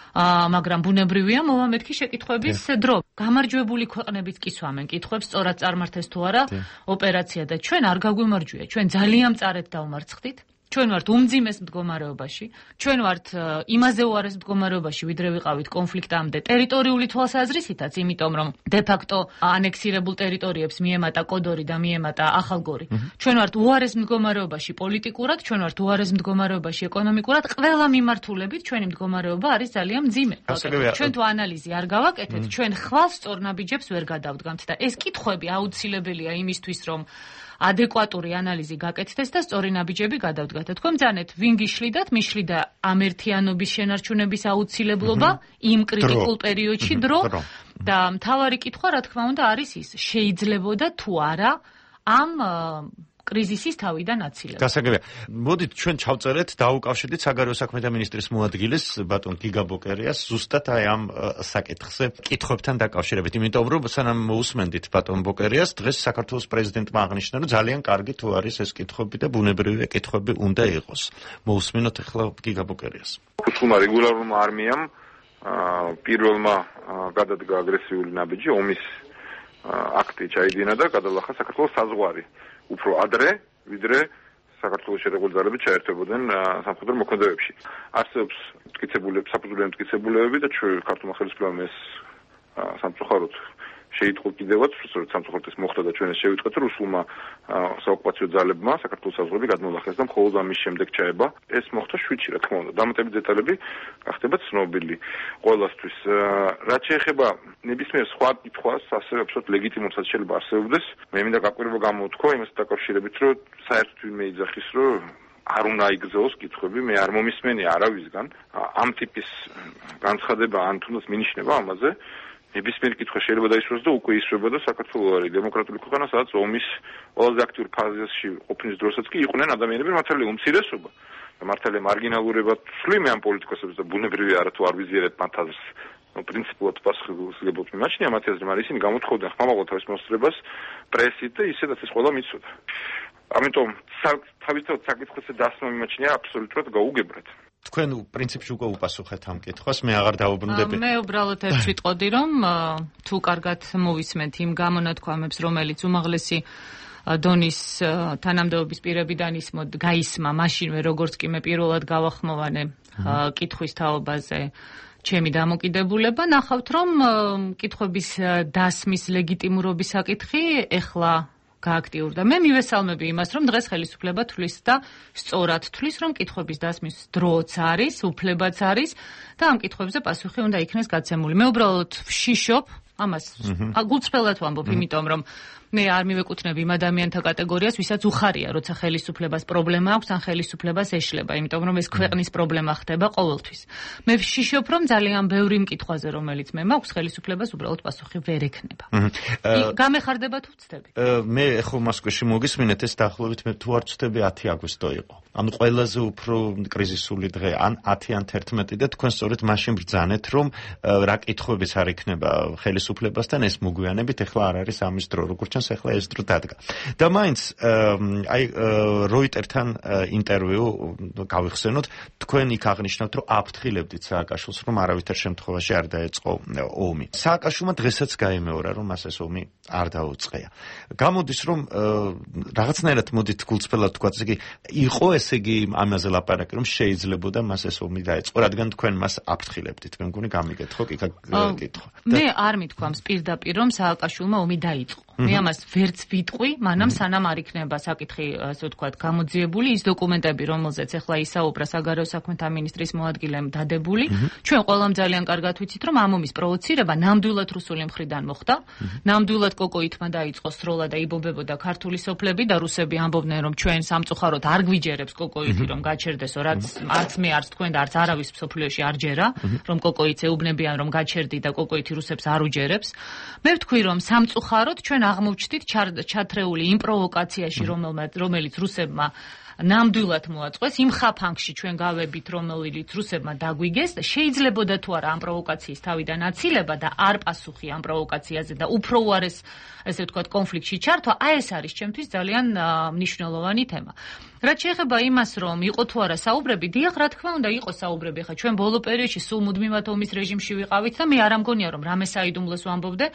Speaker 8: მაგრამ ბუნებრივია მოვამეთქი შეკითხვების დრო. გამარჯვებული ქვეყნებიც კი სვამენ კითხვებს, სწორად წარმართეს თუ არა ოპერაცია და ჩვენ არ გაგვიმარჯვია. ჩვენ ძალიან მწარედ დავმარცხდით. ჩვენ ვართ უმძიმეს მდგომარეობაში, ჩვენ ვართ იმაზე უარეს მდგომარეობაში, ვიდრე ვიყავით კონფლიქტამდე ტერიტორიული თვალსაზრისითაც, იმიტომ რომ დე-ფაქტო ანექსირებულ ტერიტორიებს მიემატა კოდორი და მიემატა ახალგორი. ჩვენ ვართ უარეს მდგომარეობაში პოლიტიკურად, ჩვენ ვართ უარეს მდგომარეობაში ეკონომიკურად, ყველა მიმართულებით ჩვენი მდგომარეობა არის ძალიან მძიმე. ჩვენ თუ ანალიზი არ გავაკეთეთ, ჩვენ ხვალ სწორ ნაბიჯებს ვერ გადავდგამთ და ეს კითხვები აუცილებელია იმისთვის, რომ ადეკვატური ანალიზი გაკეთდეს და სწორი ნაბიჯები გადავდგათ. თქვენ ბრძანეთ, ვინ გიშლიდათ, მიშლიდა ამ ერთიანობის შენარჩუნების აუცილებლობა იმ კრიტიკულ პერიოდში დრო და მთავარი კითხვა, რა თქმა უნდა, არის ის, შეიძლებოდა თუ არა ამ კრიზისის თავიდან აცილება.
Speaker 12: გასაგებია. მოდით ჩვენ ჩავწერეთ, დაუკავშირდით საგარეო საქმეთა მინისტრის მოადგილეს ბატონ გიგა ბოკერიას ზუსტად აი ამ საკითხზე კითხვებთან დაკავშირებით. იმიტომ რომ სანამ მოусმენდით ბატონ ბოკერიას, დღეს საქართველოს პრეზიდენტმა აღნიშნა, რომ ძალიან კარგი თუ არის ეს კითხვები და ბუნებრივია კითხვები უნდა იყოს. მოусმინოთ ახლა გიგა ბოკერიას.
Speaker 23: რუსულმა რეგულარულმა არმიამ პირველმა გადადგა აგრესიული ნაბიჯი, ომის აქტი ჩაიდინა და გადალახა საქართველოს საზღვარი. უფრო ადრე, ვიდრე საქართველოს შერეული ძალები ჩაერთვებოდნენ სამხედრო მოქმედებებში. არსებობს საფუძვლიანი მტკიცებულებები და ქართულმა ხელისუფლებამ ეს სამწუხაროდ შეიტყო კიდევაც, რომ სამწუხაროდ ეს მოხდა და ჩვენ ეს შევიტყვეთ, რომ რუსულმა საოკუპაციო ძალებმა საქართველოს საზღვრები გადმოახეს და მხოლოდ ამის შემდეგ ჩაება. ეს მოხდა 7-ში, რა თქმა უნდა. დამატებით დეტალები გახდება ცნობილი ყველასთვის. რაც შეეხება ნებისმიერ სხვა კითხვას, ასევე აბსოლუტურად ლეგიტიმურსაც შეიძლება არსებობდეს. მე მინდა გაკვირვება გამოვთქვა იმასთან დაკავშირებით, რომ საერთოდ ვინმე იძახის, რომ არ უნდა იგზაოს კითხვები, მე არ მომისმენი არავისგან ამ ტიპის განცხადება ან თუნდაც მინიშნება ამაზე. ნებისმიერი კითხვა შეიძლება დაისურვოს და უკვე ისრება და საქართველოს არის დემოკრატიული ქვეყანა, სადაც ომის ყველაზე აქტიურ ფაზაში ყოფნის დროსაც კი იყვნენ ადამიანები, მართალია უმცირესობა და მართალია მარგინალურებად ვსვლი მე ამ პოლიტიკოსებს და ბუნებრივია არათუ არ ვიზიარებ მათ აზრს. პრინციპულად პასუხისმგებლობ მიმაჩნია მათი აზრი, მაგრამ ისინი გამოთხოვდნენ ხმამაღლა თავის მოსწრებას პრესით და ისედაც ეს ყველა მიცოდა. ამიტომ თავისთავად საკითხებზე დასმა მიმაჩნია აბსოლუტურად გაუგებრად.
Speaker 12: თქვენ პრინციპში უკვე უპასუხეთ ამ კითხვას, მე აღარ დავუბრუნდები.
Speaker 8: მე უბრალოდ ერთ ვიტყოდი, რომ თუ კარგად მოვისმენთ იმ გამონათქვამებს, რომელიც უმაღლესი დონის თანამდებობის პირებიდან გაისმა მაშინვე, როგორც კი მე პირველად გავახმოვანე კითხვის თაობაზე ჩემი დამოკიდებულება, ნახავთ, რომ კითხვების დასმის ლეგიტიმურობის საკითხი ეხლა გააქტიურდა. მე მივესალმები იმას, რომ დღეს ხელისუფლება თვლის და სწორად თვლის, რომ კითხვების დასმის დროც არის, უფლებაც არის და ამ კითხვებზე პასუხი უნდა იქნეს გაცემული. მე უბრალოდ ვშიშობ ამას გულწრფელად ვამბობ, იმიტომ რომ მე არ მივეკუთვნებ იმ ადამიანთა კატეგორიას, ვისაც უხარია, როცა ხელისუფლებას პრობლემა აქვს, ან ხელისუფლებას ეშლება, იმიტომ რომ ეს ქვეყნის პრობლემა ხდება ყოველთვის. მე ვშიშობ, რომ ძალიან ბევრი მკითხვაზე, რომელიც მე მაქვს, ხელისუფლებას უბრალოდ პასუხი ვერ ექნება. გამეხარდება თუ ვწდები?
Speaker 12: მე ხო მოსკოვში მოგისმინეთ, ეს დაახლოებით მე თუ არ ვწდები 10 აგვისტო იყო. ანუ ყველაზე უფრო კრიზისული დღე, ან 10 ან 11 და თქვენ სწორედ მაშინ ბრძანეთ, რომ რა კითხვებიც არ იქნება ხელისუფლებასთან, ეს მოგვიანებით ეხლა არ არის ამის დრო, როგორც ეხლა ეს დრო დადგა. და მაინც აი როიტერთან ინტერვიუ გავიხსენოთ, თქვენ იქ აღნიშნავთ, რომ აფრთხილებდით სააკაშვილს, რომ არავითარ შემთხვევაში არ დაეწყო ომი. სააკაშვილმა დღესაც გაიმეორა, რომ მას ეს ომი არ დაუწყია. გამოდის, რომ რაღაცნაირად მოდით გულწრფელად თქვა, ესე იგი იყო ესე იგი ამაზე ლაპარაკი, რომ შეიძლებოდა მას ეს ომი დაეწყო, რადგან თქვენ მას აფრთხილებდით. მე მგონი გამიგეთხოვ კითხვა.
Speaker 8: მე არ მithქვამს პირდაპირ, რომ სააკაშვილმა ომი დაიწყო. მე ამას ვერც ვიტყვი, მანამ სანამ არ იქნება საკითხი, ასე ვთქვათ, გამოძიებული, ის დოკუმენტები, რომელზეც ახლა ისაუბრა საგარეო საქმეთა მინისტრის მოადგილემ დადებული, ჩვენ ყველამ ძალიან კარგად ვიცით, რომ ამ ომის პროვოცირება ნამდვილად რუსული მხრიდან მოხდა, ნამდვილად კოკოითმა დაიწყო სროლა და იბობებოდა ქართული სოფლები და რუსები ამბობდნენ, რომ ჩვენ სამწუხაროდ არ გვიჯერებს კოკოითი, რომ გაჩერდესო, რაც არც მე არც თქვენ და არც არავის მსოფლიოში არ ჯერა, რომ კოკოითს ეუბნებიან, რომ გაჩერდი და კოკოითი რუსებს არ უჯერებს. მე ვთქვი, რომ სამწუხაროდ ჩვენ აღმოჩნდით ჩათრეული იმ პროვოკაციაში, რომელიც რუსებმა ნამდვილად მოაწყვეს, იმ ხაფანგში ჩვენ გავებით, რომელიც რუსებმა დაგვიგეს და შეიძლებოდა თუ არა ამ პროვოკაციის თავიდან აცილება და არ პასუხი ამ პროვოკაციაზე და უფრო უარეს, ესე ვთქვათ, კონფლიქტში ჩართვა, აი ეს არის ჩემთვის ძალიან მნიშვნელოვანი თემა. რაც შეეხება იმას, რომ იყო თუ არა საუბრები, დიახ, რა თქმა უნდა, იყო საუბრები. ხა ჩვენ ბოლო პერიოდში სულ მუდმივად ომის რეჟიმში ვიყავით და მე არ ამგონია, რომ რამე საიდუმლოს ვამბობდე.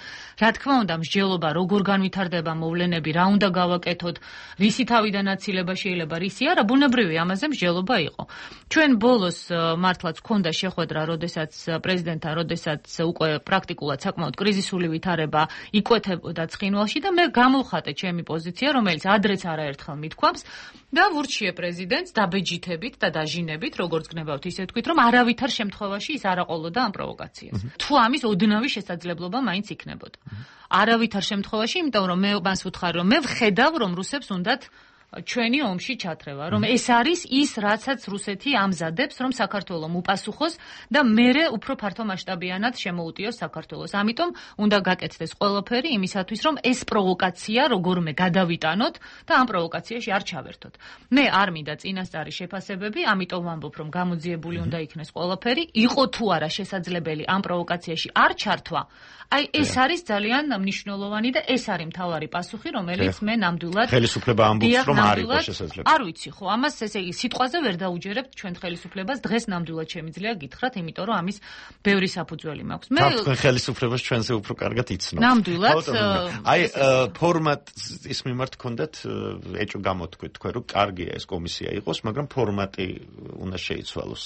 Speaker 8: რა თქმა უნდა, მსჯელობა როგორ განვითარდება მოვლენები, რა უნდა გავაკეთოთ, რისი თავიდან აცილება შეიძლება, რისი არა, ბუნებრივია, ამაზე მსჯელობა იყო. ჩვენ ბოლოს მართლაც ქონდა შეხვედრა, როდესაც პრეზიდენტთან, როდესაც უკვე პრაქტიკულად საკმაოდ კრიზისული ვითარება იკვეთებოდა ცხინვალში და მე გამოვხატე ჩემი პოზიცია, რომელიც ადრეც არაერთხელ მithქვამს და ვურჩიე პრეზიდენტს დაბეჯითებით და დაჟინებით, როგორც გნებავთ, ისე თქვით, რომ არავითარ შემთხვევაში ის არ აყოლოდა ამ პროვოკაციას. თუ ამის ოდნავი შესაძლებლობა მაინც იქნებოდა. არავითარ შემთხვევაში, იმიტომ რომ მე მას ვუთხარი, რომ მე ვხედავ, რომ რუსებს უნდათ ჩვენი ომში ჩათრევა, რომ ეს არის ის, რაცაც რუსეთი ამზადებს, რომ საქართველოს უპასუხოს და მერე უფრო ფართო მასშტაბიანად შემოუტიოს საქართველოს. ამიტომ უნდა გაკეთდეს ყველაფერი იმისათვის, რომ ეს პროვოკაცია როგორმე გადავიტანოთ და ამ პროვოკაციაში არ ჩავერთოთ. მე არ მინდა წინასწარი შეფასებები, ამიტომ ვამბობ, რომ გამოძიებული უნდა იქნეს ყველაფერი, იყო თუ არა შესაძლებელი ამ პროვოკაციაში არ ჩართვა. აი ეს არის ძალიან მნიშვნელოვანი და ეს არის მთავარი პასუხი, რომელიც მე ნამდვილად
Speaker 12: ხელისუფლება ამბობს, რომ არ იყო შესაძლებელი.
Speaker 8: არ ვიცი ხო, ამას ესე იგი სიტყვაზე ვერ დაუჯერებთ ჩვენ ხელისუფლებას, დღეს ნამდვილად შემიძლია გითხრათ, იმიტომ რომ ამის ბევრი საფუძველი მაქვს.
Speaker 12: მე თქვენ ხელისუფლებას ჩვენზე უფრო კარგად იცნობთ.
Speaker 8: ნამდვილად.
Speaker 12: აი ფორმატის მიმართ გქონდათ ეჭვ გამოთქვით თქვენ, რომ კარგია ეს კომისია იყოს, მაგრამ ფორმატი უნდა შეიცვალოს.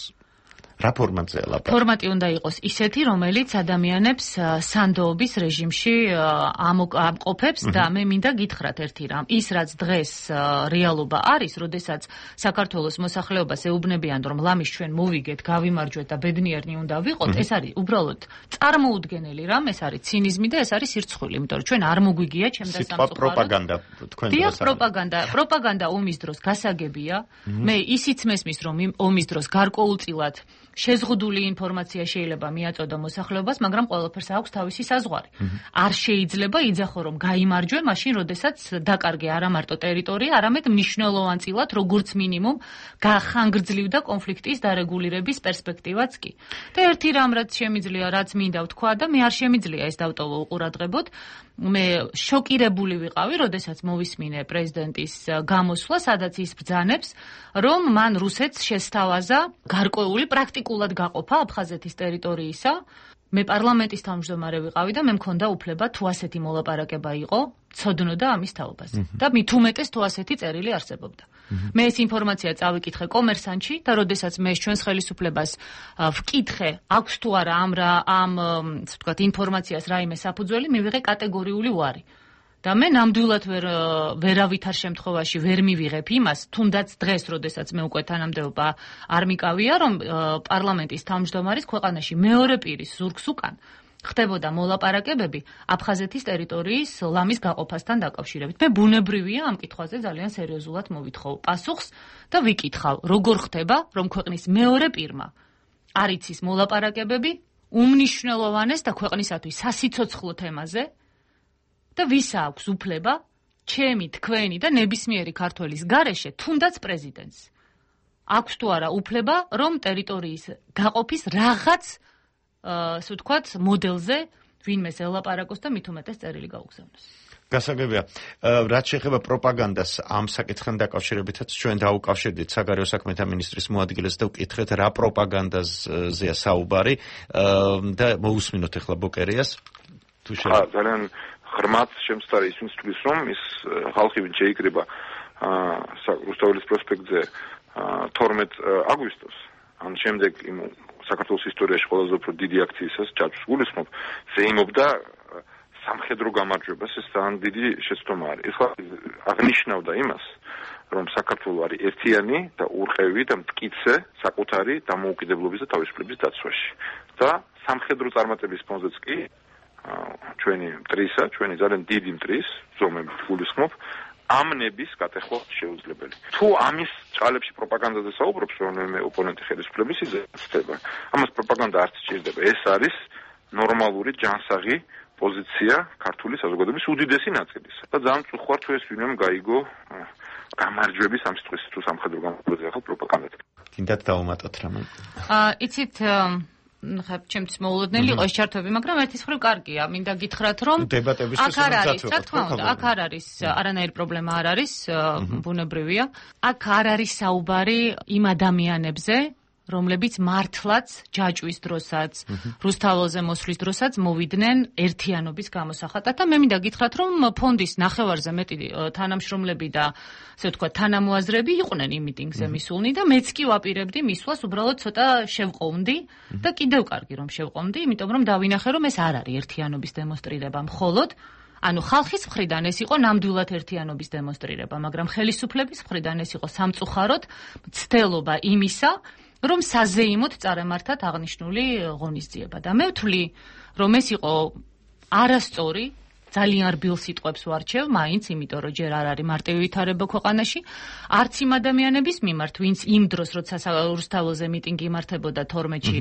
Speaker 12: რა ფორმატზეა ლაპარაკი?
Speaker 8: ფორმატი უნდა იყოს ისეთი, რომელიც ადამიანებს სანდოობის რეჟიმში ამყოფებს და მე მინდა გითხრათ ერთი რამ. ის რაც დღეს რეალობა არის, როდესაც საქართველოს მოსახლეობას ეუბნებიან, რომ ლამის ჩვენ მოვიგეთ, გავიმარჯვეთ და ბედნიერნი უნდა ვიყოთ, ეს არის უბრალოდ წარმოუდგენელი რამ, ეს არის ცინიზმი და ეს არის სირცხვილი, იმიტომ რომ ჩვენ არ მოგვიგია ჩემდა სამწუხაროდ.
Speaker 12: პროპაგანდა თქვენ დროს
Speaker 8: არის. პროპაგანდა ომის დროს გასაგებია. მე ისიც მესმის, რომ ომის დროს გარკვეულწილად შეზღუდული ინფორმაცია შეიძლება მიაწოდო მოსახლეობას, მაგრამ ყველაფერს აქვს თავისი საზღვარი. არ შეიძლება იძახო, რომ გაიმარჯვე, მაშინ, როდესაც დაკარგე არა მარტო ტერიტორია, არამედ მნიშვნელოვანწილად, როგორც მინიმუმ, ხანგრძლივდა კონფლიქტის დარეგულირების პერსპექტივაც კი. და ერთი რამ, რაც შემიძლია, რაც მინდა ვთქვა და მე არ შემიძლია ეს დავტოვო უყურადღებოდ, მე შოკირებული ვიყავი, როდესაც მოვისმინე პრეზიდენტის გამოსვლა, სადაც ის ბრძანებს, რომ მან რუსეთს შესთავაზა გარკვეული პრაქტიკულად გაყოფა აფხაზეთის ტერიტორიისა. მე პარლამენტის თავმჯდომარე ვიყავი და მე მქონდა უფლება თუ ასეთი მოლაპარაკება იყო, ცოდნოდა ამის თაობაზე. და მით უმეტეს თუ ასეთი წერილი არსებობდა. მე ეს ინფორმაცია წავიკითხე კომერსანტში და როდესაც მე ჩვენს ხელისუფლებას ვკითხე, აქვს თუ არა ამ ვთქვათ ინფორმაციას რაიმე საფუძველი, მივიღე კატეგორიული უარი. და მე ნამდვილად ვერავითარ შემთხვევაში ვერ მივიღებ იმას, თუნდაც დღეს, როდესაც მე უკვე თანამდებობა არ მიკავია, რომ პარლამენტის თავმჯდომარის ქვეყანაში მეორე პირის ზურგს უკან ხდებოდა მოლაპარაკებები აფხაზეთის ტერიტორიის ლამის გაყოფასთან დაკავშირებით. მე ბუნებრივია ამ კითხვაზე ძალიან სერიოზულად მოვითხოვ პასუხს და ვიკითხავ, როგორ ხდება, რომ ქვეყნის მეორე პირმა არ იცის მოლაპარაკებები უმნიშვნელოვანეს და ქვეყნისათვის სასიცოცხლო თემაზე და ვის აქვს უფლება ჩემი, თქვენი და ნებისმიერი ქართველის გარეშე, თუნდაც პრეზიდენტს აქვს თუ არა უფლება, რომ ტერიტორიის გაყოფის რაღაც ასე ვთქვათ, მოდელზე ვინმეს ელაპარაკოს და მით უმეტეს წერილი გაუგზავნოს.
Speaker 12: გასაგებია, რაც შეეხება პროპაგანდას ამ საკითხთან დაკავშირებითაც ჩვენ დაუკავშირდით საგარეო საქმეთა მინისტრის მოადგილეს და ვკითხეთ რა პროპაგანდაზეა საუბარი და მოусმინოთ ახლა ბოკერიას. თუ შეიძლება
Speaker 23: ძალიან ღრმად შემწარი ისინი თვლის, რომ ის ხალხი ვინ შეიკრიბა რუსთაველის პროსპექტზე 12 აგვისტოს, ან შემდეგ იმ საქართველოს ისტორიაში ყველაზე უფრო დიდი აქციისას ჯაჭვს გულისხმობ, ზეიმობდა სამხედრო გამარჯვებას, ეს ძალიან დიდი შეცდომა არის. ეს აღნიშნავდა იმას, რომ საქართველო არის ერთიანი და ურყევი და მტკიცე საკუთარი დამოუკიდებლობის და თავისუფლების დაცვაში. და სამხედრო წარმატების ფონზეც კი ჩვენი მტრისა, ჩვენი ძალიან დიდი მტრის ზომებით გულისხმობ, ამ ნების გატეხვა შეუძლებელი. თუ ამის ჭალებში პროპაგანდაზე საუბრობს რომელიმე ოპონენტი ხელისუფლების იზრდება, ამას პროპაგანდა არ სჭირდება. ეს არის ნორმალური ჯანსაღი პოზიცია ქართული საზოგადოების უდიდესი ნაწილისა. და ძალიან წუხوار თუ ეს ვინმემ გაიგო გამარჯვების ამ სიტყვის თუ სამხედრო გამარჯვებაზე ახალ პროპაგანდად.
Speaker 12: კიდათ დავუმატოთ რამე.
Speaker 8: იცით ჩემთვის მოულოდნელი იყო ეს ჩართვები, მაგრამ ერთის მხრივ კარგია. მინდა გითხრათ, რომ აქ არ არის, რა თქმა უნდა, აქ არ არის არანაირი პრობლემა არ არის, ბუნებრივია. აქ არ არის საუბარი იმ ადამიანებზე, რომლებიც მართლაც ჯაჭვის დროსაც, რუსთაველზე მოსვლის დროსაც მოვიდნენ ერთიანობის გამოსახატად და მე მინდა გითხრათ, რომ ფონდის ნახევარზე მეტი თანამშრომლები და ასე ვთქვათ, თანამოაზრეები იყვნენ იმ მიტინგზე მისულნი და მეც კი ვაპირებდი მისვლას, უბრალოდ ცოტა შევყოვნდი და კიდევ კარგი რომ შევყოვნდი, იმიტომ რომ დავინახე, რომ ეს არ არის ერთიანობის დემონსტრირება მხოლოდ, ანუ ხალხის მხრიდან ეს იყო ნამდვილად ერთიანობის დემონსტრირება, მაგრამ ხელისუფლების მხრიდან ეს იყო სამწუხაროდ მცდელობა იმისა, რომ საზეიმოდ წარემართათ აღნიშნული ღონისძიება და მე ვთვლი, რომ ეს იყო არასწორი, ძალიან რბილ სიტყვებს ვარჩევ, მაინც, იმიტომ რომ ჯერ არ არის მარტივი ვითარება ქვეყანაში, არც იმ ადამიანების მიმართ, ვინც იმ დროს, როცა რუსთაველზე მიტინგი იმართებოდა 12-ში,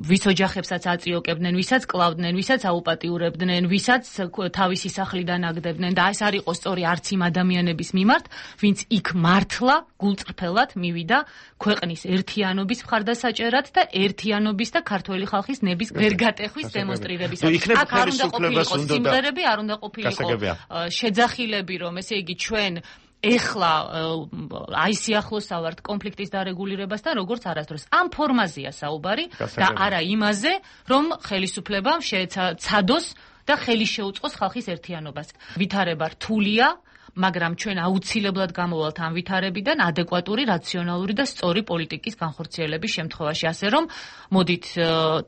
Speaker 8: ვის ოჯახებსაც აწიოკებდნენ, ვისაც კლავდნენ, ვისაც აუპატიურებდნენ, ვისაც თავისი სახლიდან აგდებდნენ და ეს არ იყო სწორი არც იმ ადამიანების მიმართ, ვინც იქ მართლა გულწრფელად მივიდა ქვეყნის ერთიანობის მხარდასაჭერად და ერთიანობის და ქართველი ხალხის ნების ვერგატეხვის დემონსტრირებისათვის. აქ არ უნდა ყოფილიყო სიმღერები, არ უნდა ყოფილიყო შეძახილები, რომ ესე იგი ჩვენ ეხლა აი სიახლოსავართ კონფლიქტის დარეგულირებასთან, როგორც არასდროს. ამ ფორმაზეა საუბარი და არა იმაზე, რომ ხელისუფლებამ შეეცადოს და ხელი შეუწყოს ხალხის ერთიანობას. ვითარება რთულია, მაგრამ ჩვენ აუცილებლად გამოვალთ ამ ვითარებიდან ადეკვატური, რაციონალური და სწორი პოლიტიკის განხორციელების შემთხვევაში, ასე რომ მოდით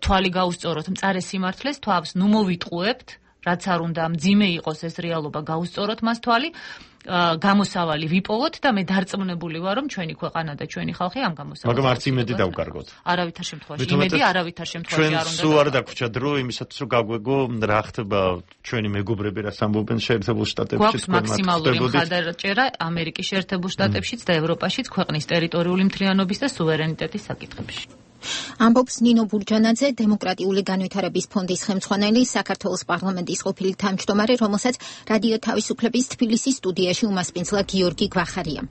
Speaker 8: თვალი გაუსწოროთ მწარე სიმართლეს, თავს ნუ მოვიტყუებთ, რაც არ უნდა მძიმე იყოს ეს რეალობა, გაუსწოროთ მას თვალი, გამოსავალი ვიპოვოთ და მე დარწმუნებული ვარ, რომ ჩვენი ქვეყანა და ჩვენი ხალხი ამ გამოსავალს.
Speaker 12: მაგრამ არც იმედი დავკარგოთ.
Speaker 8: არავითარ შემთხვევაში იმედი არავითარ შემთხვევაში არ უნდა.
Speaker 12: ჩვენ სულ არ დაგვრჩა დრო იმისათვის, რომ გაგვეგო რა ხდება ჩვენი მეგობრები რას ამბობენ შეერთებულ შტატებში,
Speaker 8: გვაქვს მაქსიმალური მხარდაჭერა ამერიკის შეერთებულ შტატებშიც და ევროპაშიც ქვეყნის ტერიტორიული მთლიანობის და სუვერენიტეტის საკითხებში.
Speaker 1: ამბობს ნინო ბურჯანაძე, დემოკრატიული განვითარების ფონდის ხელმძღვანელი, საქართველოს პარლამენტის ყოფილი თავმჯდომარე, რომელსაც რადიო თავისუფლების თბილისის სტუდიაში უმასპინძლა გიორგი გვახარია.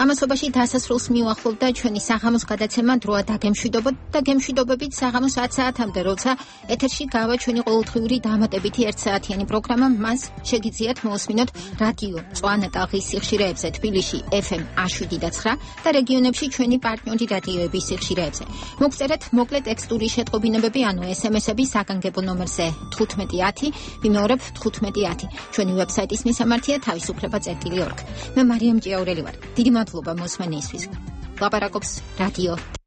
Speaker 1: ამასობაში დასასრულს მიუახლოვდა ჩვენი საღამოს გადაცემა დროა დაგემშვიდობოთ და გემშვიდობებით საღამოს 10 საათამდე, როცა ეთერში გავა ჩვენი ყოველდღიური დამატებითი 1 საათიანი პროგრამა, მას შეგიძლიათ მოусმინოთ რადიო წვანა ტალღის სიხშირეებზე თბილისში FM 107.9 და რეგიონებში ჩვენი პარტნიორი რადიოების სიხშირეებზე. მოგწერეთ მოკლე ტექსტური შეტყობინებები, ანუ SMS-ები საგანგებო ნომერზე 1510, ვიმეორებ 1510. ჩვენი ვებსაიტის მისამართია თავისუფლება.org. მე მარიამ ჭიაურელი ვარ. დიდი მადლობა მოსმენისთვის. ლაპარაკობს რადიო